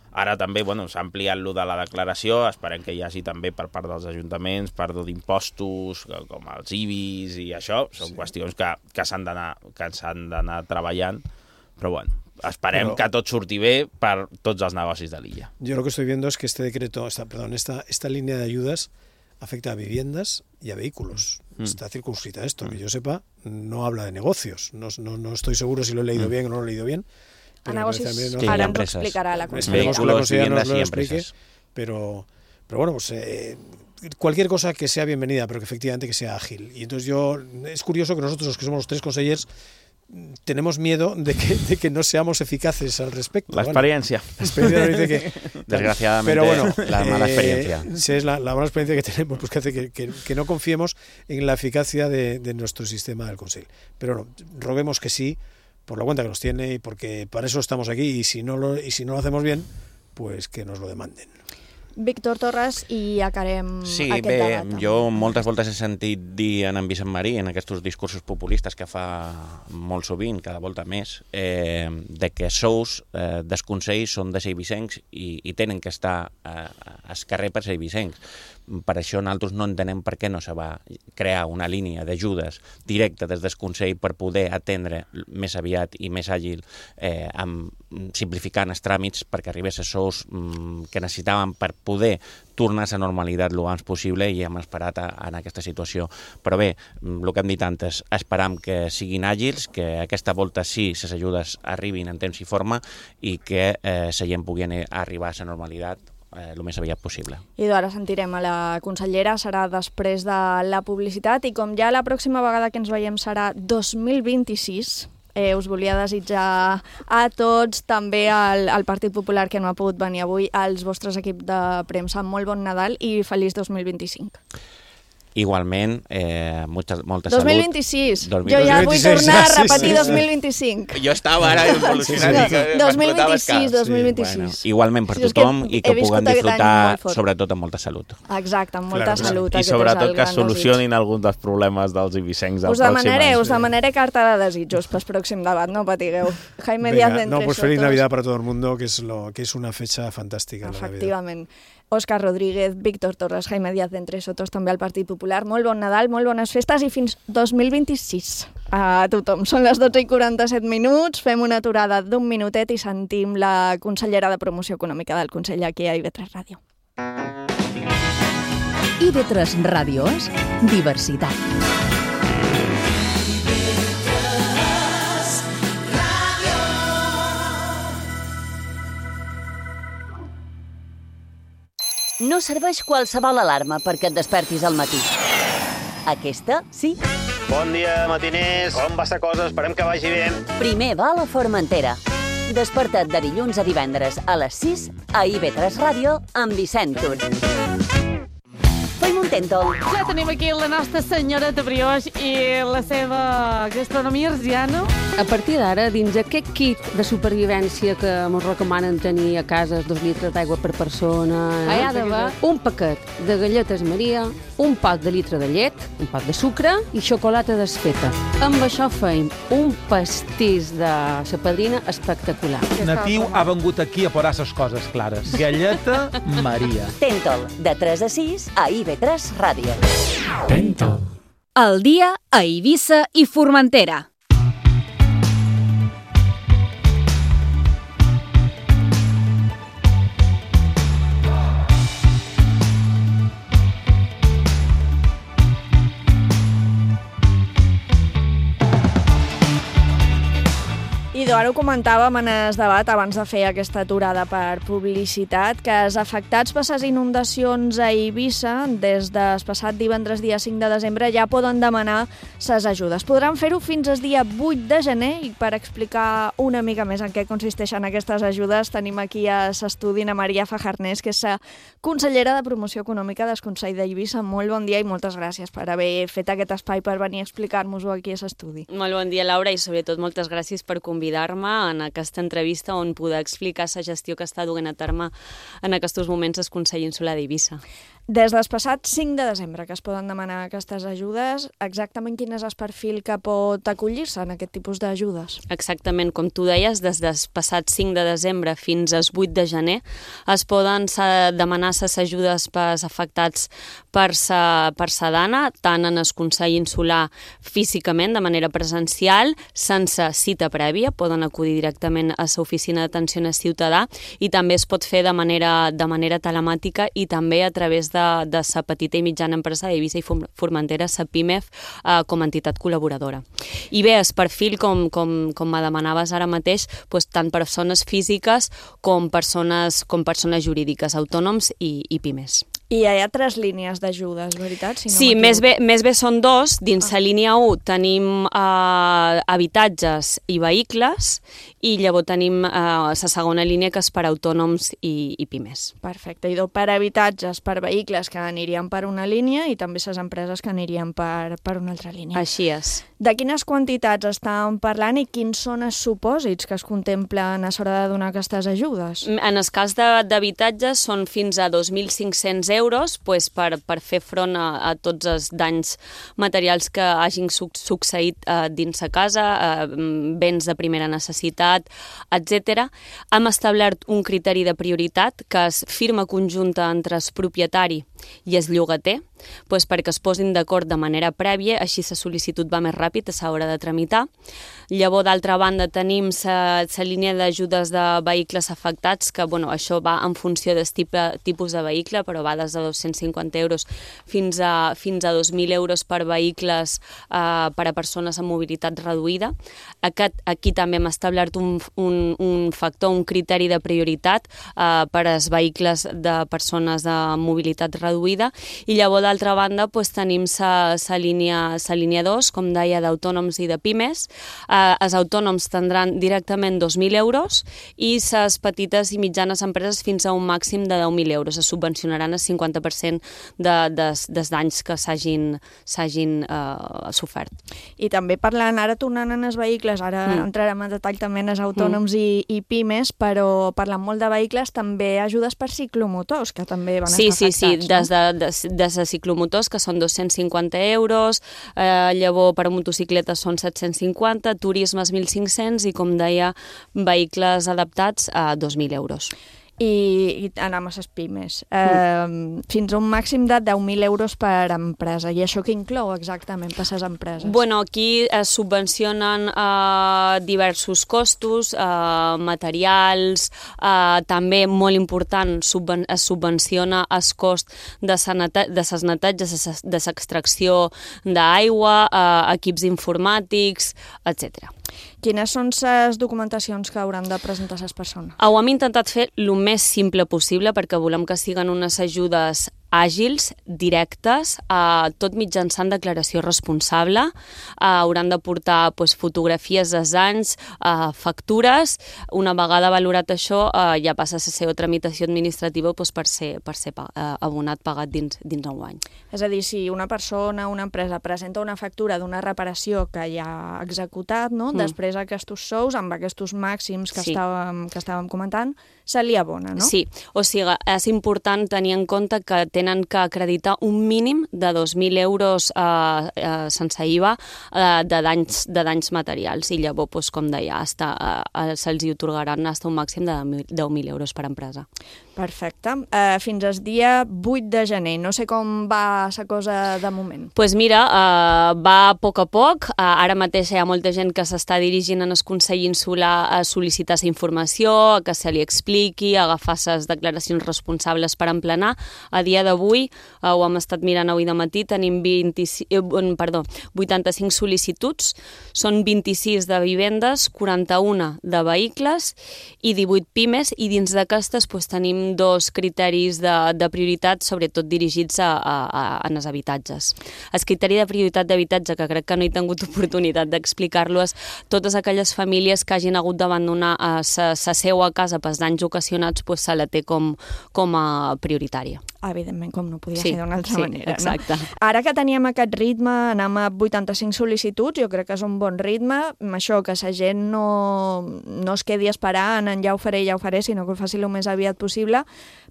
Ara també, bueno, s'ha ampliat lo de la declaració, esperem que hi hagi també per part dels ajuntaments, perdó d'impostos, com els I B Is i això, són sí. qüestions que, que s'han d'anar que s'han d'anar treballant, però bueno, esperem pero, que tot surti bé per tots els negocis de l'illa. Yo lo que estoy viendo es que este decreto, esta, perdón, esta, esta línea de ayudas afecta a viviendas y a vehículos. Mm. Está circunscrita esto, mm. que yo sepa, no habla de negocios. No, no, no estoy seguro si lo he leído mm. bien o no lo he leído bien. A negocios, no, sí, ahora nos explicará la consejera. Esperemos que la consejera nos lo explique, pero, pero bueno, pues eh, cualquier cosa que sea bienvenida, pero que efectivamente que sea ágil. Y entonces yo, es curioso que nosotros, los que somos los tres consellers, tenemos miedo de que, de que no seamos eficaces al respecto. La experiencia. Bueno, la experiencia dice que, desgraciadamente, pero bueno, la mala experiencia. Eh, si es la, la mala experiencia que tenemos, pues que hace que, que, que no confiemos en la eficacia de, de nuestro sistema del Consell. Pero no, roguemos que sí, por la cuenta que nos tiene y porque para eso estamos aquí, y si no lo, y si no lo hacemos bien, pues que nos lo demanden. Víctor Torres, i acabarem sí, aquest bé, debat. Jo moltes voltes he sentit dir en en Vicent Marí, en aquests discursos populistes que fa molt sovint, cada volta més, eh, de que sous eh, dels consells són de seivicencs i, i tenen que estar eh, al carrer per seivicencs. Per això nosaltres no entenem per què no se va crear una línia d'ajudes directa des del Consell per poder atendre més aviat i més àgil, eh, amb, simplificant els tràmits perquè arribés a sous mm, que necessitàvem per poder tornar a la normalitat el abans possible, i hem esperat a, en aquesta situació. Però bé, el que hem dit antes, esperam que siguin àgils, que aquesta volta sí les ajudes arribin en temps i forma i que eh, la gent pugui arribar a la normalitat Eh, el més aviat possible. I ara sentirem a la consellera, serà després de la publicitat, i com ja la pròxima vegada que ens veiem serà dos mil vint-i-sis, eh, us volia desitjar a tots, també al, al Partit Popular que no ha pogut venir avui, als vostres equips de premsa, molt bon Nadal i feliç dos mil vint-i-cinc. Igualment, eh, molta, molta dos mil vint-i-sis. salut. dos mil vint-i-sis. Jo ja vull tornar a repetir sí, sí, dos mil vint-i-cinc. Jo estava ara evolucionant. Sí, sí. dos mil vint-i-sis, dos mil vint-i-sis. Sí, bueno, igualment per sí, tothom i que puguem disfrutar, sobretot amb molta salut. Exacte, amb molta claro, salut. I sobretot que solucionin algun dels problemes dels ibicencs del us demanaré, us demanaré carta de desitjos pel pròxim debat, no patigueu. Jaime Díaz de Entre No, pues feliz Navidad para todo el mundo, que es, lo, que es una fecha fantástica. Efectivament. Òscar Rodríguez, Víctor Torres, Jaime Díaz d'Entre Sotos, també al Partit Popular. Molt bon Nadal, molt bones festes i fins dos mil vint-i-sis a tothom. Són les dotze i quaranta-set minuts, fem una aturada d'un minutet i sentim la consellera de Promoció Econòmica del Consell aquí a I V tres Ràdio. I V tres Ràdio és diversitat. No serveix qualsevol alarma perquè et despertis al matí. Aquesta, sí. Bon dia, matiners. Com va esta cosa? Esperem que vagi bé. Primer va a la Formentera. Desperta't de dilluns a divendres a les sis a I V tres Ràdio amb Vicent Tur. Fem un tèntol. Ja tenim aquí la nostra senyoreta Brioix i la seva gastronomia arsiana. A partir d'ara, dins aquest kit de supervivència que ens recomanen tenir a casa, dos litres d'aigua per persona, eh? hi ha d'haver un paquet de galletes Maria, un pot de litre de llet, un pot de sucre i xocolata desfeta. Amb això feim un pastís de la padrina espectacular. Natiu ha vengut aquí a posar les coses clares. Galleta Maria. Tèntol, de tres a sis a I V tres Ràdio. Tèntol. El dia a Eivissa i Formentera. Idò, ara ho comentàvem en el debat abans de fer aquesta aturada per publicitat, que els afectats per les inundacions a Eivissa des del passat divendres dia cinc de desembre ja poden demanar les ajudes. Podran fer-ho fins al dia vuit de gener i per explicar una mica més en què consisteixen aquestes ajudes tenim aquí a l'estudi a Maria Fajarnés, que és la consellera de Promoció Econòmica del Consell d'Eivissa. Molt bon dia i moltes gràcies per haver fet aquest espai per venir a explicar-nos-ho aquí a l'estudi. Molt bon dia, Laura, i sobretot moltes gràcies per convidar-me en aquesta entrevista on poder explicar la gestió que està duent a terme en aquests moments el Consell Insular d'Eivissa. Des del passat cinc de desembre que es poden demanar aquestes ajudes, exactament quin és el perfil que pot acollir-se en aquest tipus d'ajudes? Exactament, com tu deies, des del passat cinc de desembre fins al vuit de gener es poden demanar les ajudes pels afectats per sa, per sa dana, tant en el Consell Insular físicament, de manera presencial, sense cita prèvia, poden acudir directament a l'oficina d'atenció al ciutadà i també es pot fer de manera, de manera telemàtica i també a través de de la petita i mitjana empresa d'Eivissa i Formentera, la PIMEF, eh, com a entitat col·laboradora. I bé, el perfil, com, com, com me demanaves ara mateix, doncs, tant persones físiques com persones, com persones jurídiques, autònoms i, i PIMEs. I hi ha tres línies d'ajudes, veritat? Si no sí, més bé, més bé són dos. Dins ah. la línia u tenim eh, habitatges i vehicles i llavors tenim eh, la segona línia que és per autònoms i, i pimes. Perfecte. I per habitatges, per vehicles que anirien per una línia i també les empreses que anirien per, per una altra línia. Així és. De quines quantitats estàvem parlant i quins són els supòsits que es contemplen a l'hora de donar aquestes ajudes? En el cas d'habitatges són fins a dos mil cinc-cents euros pues, per, per fer front a, a tots els danys materials que hagin succeït eh, dins la casa, eh, béns de primera necessitat, etcètera. Hem establert un criteri de prioritat que és firma conjunta entre el propietari i el llogater, pues perquè es posin d'acord de manera prèvia, així la sol·licitud va més ràpid a l'hora de tramitar. Llavors, d'altra banda, tenim la línia d'ajudes de vehicles afectats, que bueno, això va en funció del tipus de vehicle, però va des de dos-cents cinquanta euros fins a, fins a dos mil euros per vehicles eh, per a persones amb mobilitat reduïda. Aquest, aquí també hem establert un, un, un factor, un criteri de prioritat eh, per als vehicles de persones amb mobilitat reduïda, i llavors d'altra banda doncs, tenim la línia, línia dos, com deia, d'autònoms i de pimes. Eh, els autònoms tindran directament dos mil euros i les petites i mitjanes empreses fins a un màxim de deu mil euros. Es subvencionaran el cinquanta per cent de, des, dels danys que s'hagin eh, sofert. I també parlant, ara tornant en els vehicles, ara mm. entrarem en detall també en els autònoms mm. i, i pimes, però parlant molt de vehicles, també ajudes per ciclomotors, que també van sí, estar sí, afectats. Sí, sí, des de, des, des de ciclomotors, que són dos-cents cinquanta euros, eh, llavors per a motocicletes són set-cents cinquanta, turismes mil cinc-cents i, com deia, vehicles adaptats a dos mil euros. I, i anem a les pimes. Eh, mm. Fins a un màxim de deu mil euros per empresa. I això què inclou exactament per les empreses? Bueno, aquí es subvencionen eh, diversos costos, eh, materials, eh, també molt important, subven es subvenciona el cost de les netatges, de l'extracció d'aigua, eh, equips informàtics, etcètera. Quines són les documentacions que hauran de presentar les persones? Ho hem intentat fer el més simple possible perquè volem que siguin unes ajudes àgils, directes, eh, tot mitjançant declaració responsable. Eh, hauran de portar pues, fotografies dels anys, eh, factures. Una vegada valorat això, eh, ja passa a la seva tramitació administrativa pues, per ser, per ser eh, abonat, pagat dins, dins un any. És a dir, si una persona, una empresa presenta una factura d'una reparació que ja ha executat, no? Mm. Després aquests sous, amb aquests màxims que, sí. estàvem, que estàvem comentant, se li abona, no? Sí, o sigui, és important tenir en compte que tenen que acreditar un mínim de dos mil euros eh, eh, sense I V A eh, de, danys, de danys materials i llavors, doncs, com deia, hasta, eh, se'ls hi otorgaran fins a un màxim de deu mil euros per empresa. Perfecte. Uh, fins al dia vuit de gener. No sé com va la cosa de moment. Doncs pues mira, uh, va a poc a poc. Uh, ara mateix hi ha molta gent que s'està dirigint en el Consell Insular a sol·licitar la informació, a que se li expliqui, a agafar les declaracions responsables per emplenar. A dia d'avui, uh, ho hem estat mirant avui de matí, tenim vint-i-sis, eh, perdó, vuitanta-cinc sol·licituds, són vint-i-sis de vivendes, quaranta-una de vehicles i divuit pimes, i dins d'aquestes pues, tenim dos criteris de, de prioritat, sobretot dirigits a, a, a, a els habitatges. El criteri de prioritat d'habitatge, que crec que no he tingut oportunitat d'explicar-lo, és totes aquelles famílies que hagin hagut d'abandonar la seva casa pels danys ocasionats, pues, se la té com, com a prioritària. Evidentment, com no podia sí, ser d'una altra sí, manera. Exacte. No? Ara que teníem aquest ritme, anem a vuitanta-cinc sol·licituds, jo crec que és un bon ritme, això, que la gent no, no es quedi esperant en ja ho faré, ja ho faré, sinó que ho faci el més aviat possible,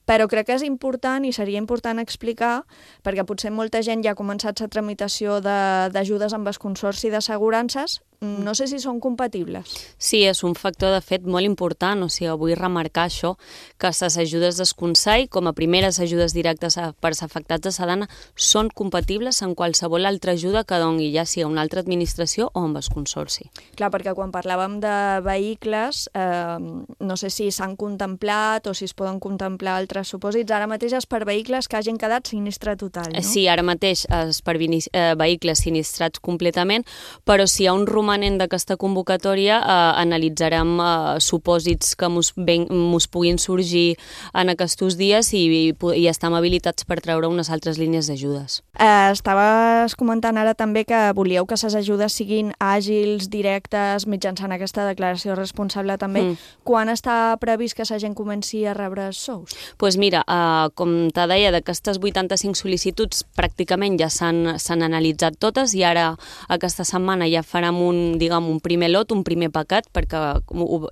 però crec que és important i seria important explicar, perquè potser molta gent ja ha començat la tramitació d'ajudes amb el Consorci d'Assegurances, no sé si són compatibles. Sí, és un factor de fet molt important, o sigui, vull remarcar això, que les ajudes del Consell, com a primeres ajudes directes per als afectats de Sedana, són compatibles amb qualsevol altra ajuda que doni, ja sigui una altra administració o amb el Consorci. Clar, perquè quan parlàvem de vehicles, eh, no sé si s'han contemplat o si es poden contemplar altres supòsits, ara mateix és per vehicles que hagin quedat sinistre total, no? Sí, ara mateix és per vehicles sinistrats completament, però si hi ha un romanent d'aquesta convocatòria, eh, analitzarem eh, supòsits que mos, ben, mos puguin sorgir en aquests dies i, i, i estem habilitats per treure unes altres línies d'ajudes. Eh, estaves comentant ara també que volíeu que les ajudes siguin àgils, directes, mitjançant aquesta declaració responsable també. Mm. Quan està previst que la gent comenci a rebre els sous? Doncs pues mira, eh, com te deia, d'aquestes vuitanta-cinc sol·licituds pràcticament ja s'han analitzat totes i ara aquesta setmana ja farem un diguem, un primer lot, un primer paquet, perquè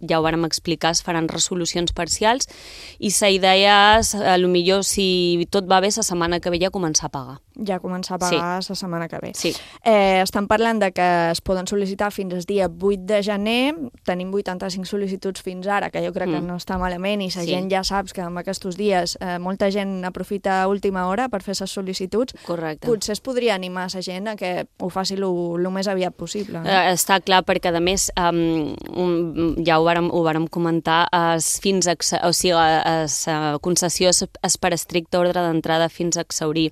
ja ho vàrem explicar, es faran resolucions parcials i la idea és, potser si tot va bé, la setmana que ve ja començar a pagar. Ja començar a pagar sí. la setmana que ve. Sí. Eh, estan parlant de que es poden sol·licitar fins al dia vuit de gener, tenim vuitanta-cinc sol·licituds fins ara, que jo crec mm. que no està malament i la sí. gent ja saps que en aquests dies eh, molta gent aprofita a última hora per fer les sol·licituds. Correcte. Potser es podria animar la gent a que ho faci el més aviat possible. No? Eh, està clar, perquè a més, um, ja ho vàrem, ho vàrem comentar, es, fins a, o sigui, la concessió és, és per estricte ordre d'entrada fins a exhaurir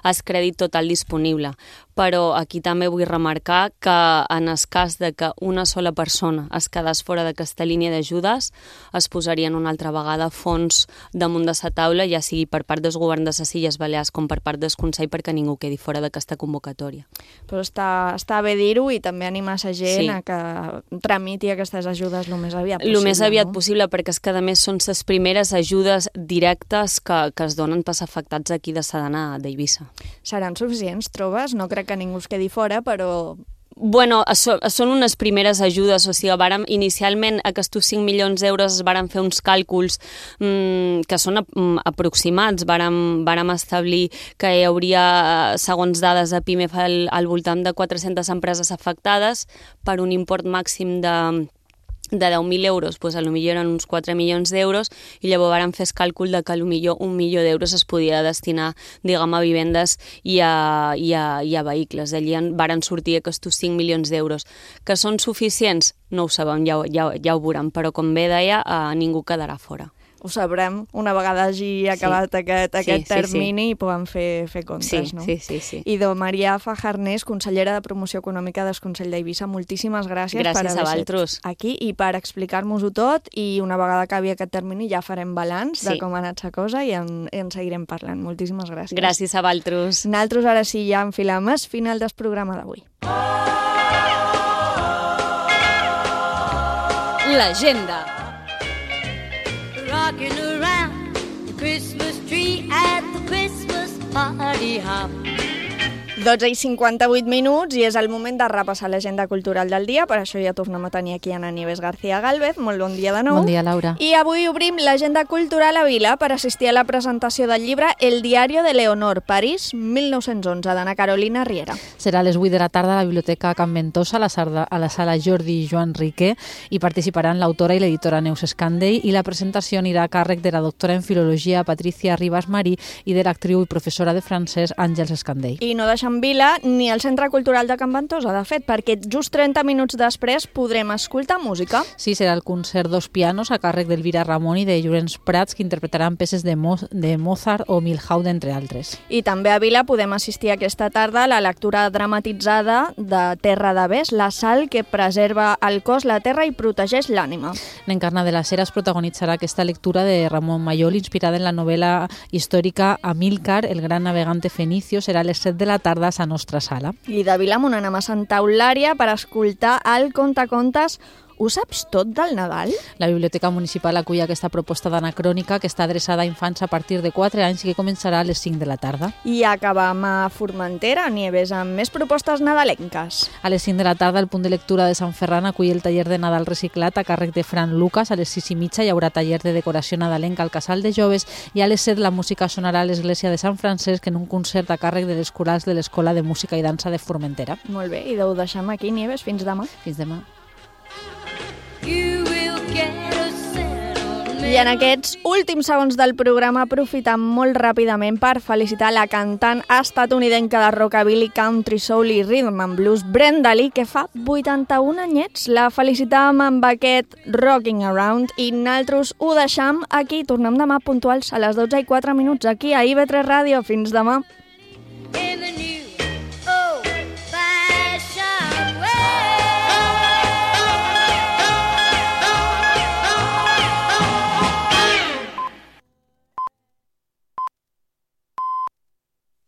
el crèdit total disponible. Però aquí també vull remarcar que en el cas de que una sola persona es quedés fora d'aquesta línia d'ajudes, es posarien una altra vegada fons damunt de la taula, ja sigui per part del govern de les Illes Balears com per part del Consell, perquè ningú quedi fora d'aquesta convocatòria. Però està, està bé dir-ho i també animar la gent sí. a que tramiti aquestes ajudes el més aviat possible. El més aviat no? possible, perquè és que a més són les primeres ajudes directes que, que es donen pels afectats aquí de Sedana d'Eivissa. Seran suficients, trobes? No crec que ningú es quedi fora, però... Bueno, so, són unes primeres ajudes, o sigui, vàrem, inicialment aquests cinc milions d'euros es varen fer uns càlculs mmm, que són mm, aproximats, vàrem, vàrem establir que hi hauria, segons dades de PIMEF, al, al voltant de quatre-centes empreses afectades per un import màxim de... de deu mil euros, doncs potser eren uns quatre milions d'euros i llavors vàrem fer el càlcul de que potser un milió d'euros es podia destinar, diguem, a vivendes i a, i a, i a vehicles. D'allí varen sortir aquests cinc milions d'euros. Que són suficients? No ho sabem, ja, ja, ja ho veurem, però com bé deia, eh, ningú quedarà fora. Ho sabrem una vegada hagi acabat sí. aquest, aquest sí, termini sí, sí. i puguem fer, fer comptes, sí, no? Sí, sí, sí. I de Maria Fajarnés, consellera de Promoció Econòmica del Consell d'Eivissa, moltíssimes gràcies, gràcies per haver estat aquí i per explicar-nos-ho tot, i una vegada acabi aquest termini ja farem balanç sí. de com ha anat la cosa i en, en seguirem parlant. Moltíssimes gràcies. Gràcies a vosaltres. Nosaltres ara sí ja enfilem el final del programa d'avui. L'agenda. Rocking around the Christmas tree at the Christmas party hop. dotze i cinquanta-vuit minuts i és el moment de repassar l'agenda cultural del dia. Per això ja tornem a tenir aquí Ana Nieves García Gálvez. Molt bon dia de nou. Bon dia, Laura. I avui obrim l'agenda cultural a Vila per assistir a la presentació del llibre El diario de Leonor, París, mil nou-cents onze, d'Anna Carolina Riera. Serà a les vuit de la tarda a la Biblioteca Can Ventosa, a la, sarda, a la sala Jordi Joan Riquer, i participaran l'autora i l'editora Neus Escandell, i la presentació anirà a càrrec de la doctora en Filologia Patricia Ribas Marí i de l'actriu i professora de francès Àngels Escandell. I no deixem Vila ni el Centre Cultural de Can Ventosa, de fet, perquè just trenta minuts després podrem escoltar música. Sí, serà el concert Dos Pianos a càrrec d'Elvira Ramon i de Llorenç Prats, que interpretaran peces de, Mo de Mozart o Milhaud, entre altres. I també a Vila podem assistir aquesta tarda a la lectura dramatitzada de Terra de Bes, la sal que preserva el cos, la terra i protegeix l'ànima. L'Encarna de la Cera es protagonitzarà aquesta lectura de Ramon Mayol, inspirada en la novel·la històrica Amílcar, el gran navegante fenicio. Serà a les set de la tarda a la nostra sala. I de Vilamunt anem a Santa Eulària per escoltar el Contacontes Ho saps tot del Nadal? La Biblioteca Municipal acull aquesta proposta d'anacrònica que està adreçada a infants a partir de quatre anys i que començarà a les cinc de la tarda. I acabam a Formentera, Nieves, amb més propostes nadalenques. A les cinc de la tarda el punt de lectura de Sant Ferran acull el taller de Nadal reciclat a càrrec de Fran Lucas. A les sis i mitja hi haurà taller de decoració nadalenca al Casal de Joves i a les set la música sonarà a l'església de Sant Francesc en un concert a càrrec de les corals de l'Escola de Música i Dansa de Formentera. Molt bé, i ho deixem aquí, Nieves, fins demà. Fins demà. I en aquests últims segons del programa aprofitem molt ràpidament per felicitar la cantant estatunidenca de rockabilly, country, soul i rhythm and blues Brenda Lee, que fa vuitanta-un anyets. La felicitàvem amb aquest Rocking Around i nosaltres ho deixam aquí. Tornem demà puntuals a les dotze i quatre minuts aquí a I V tres Ràdio. Fins demà.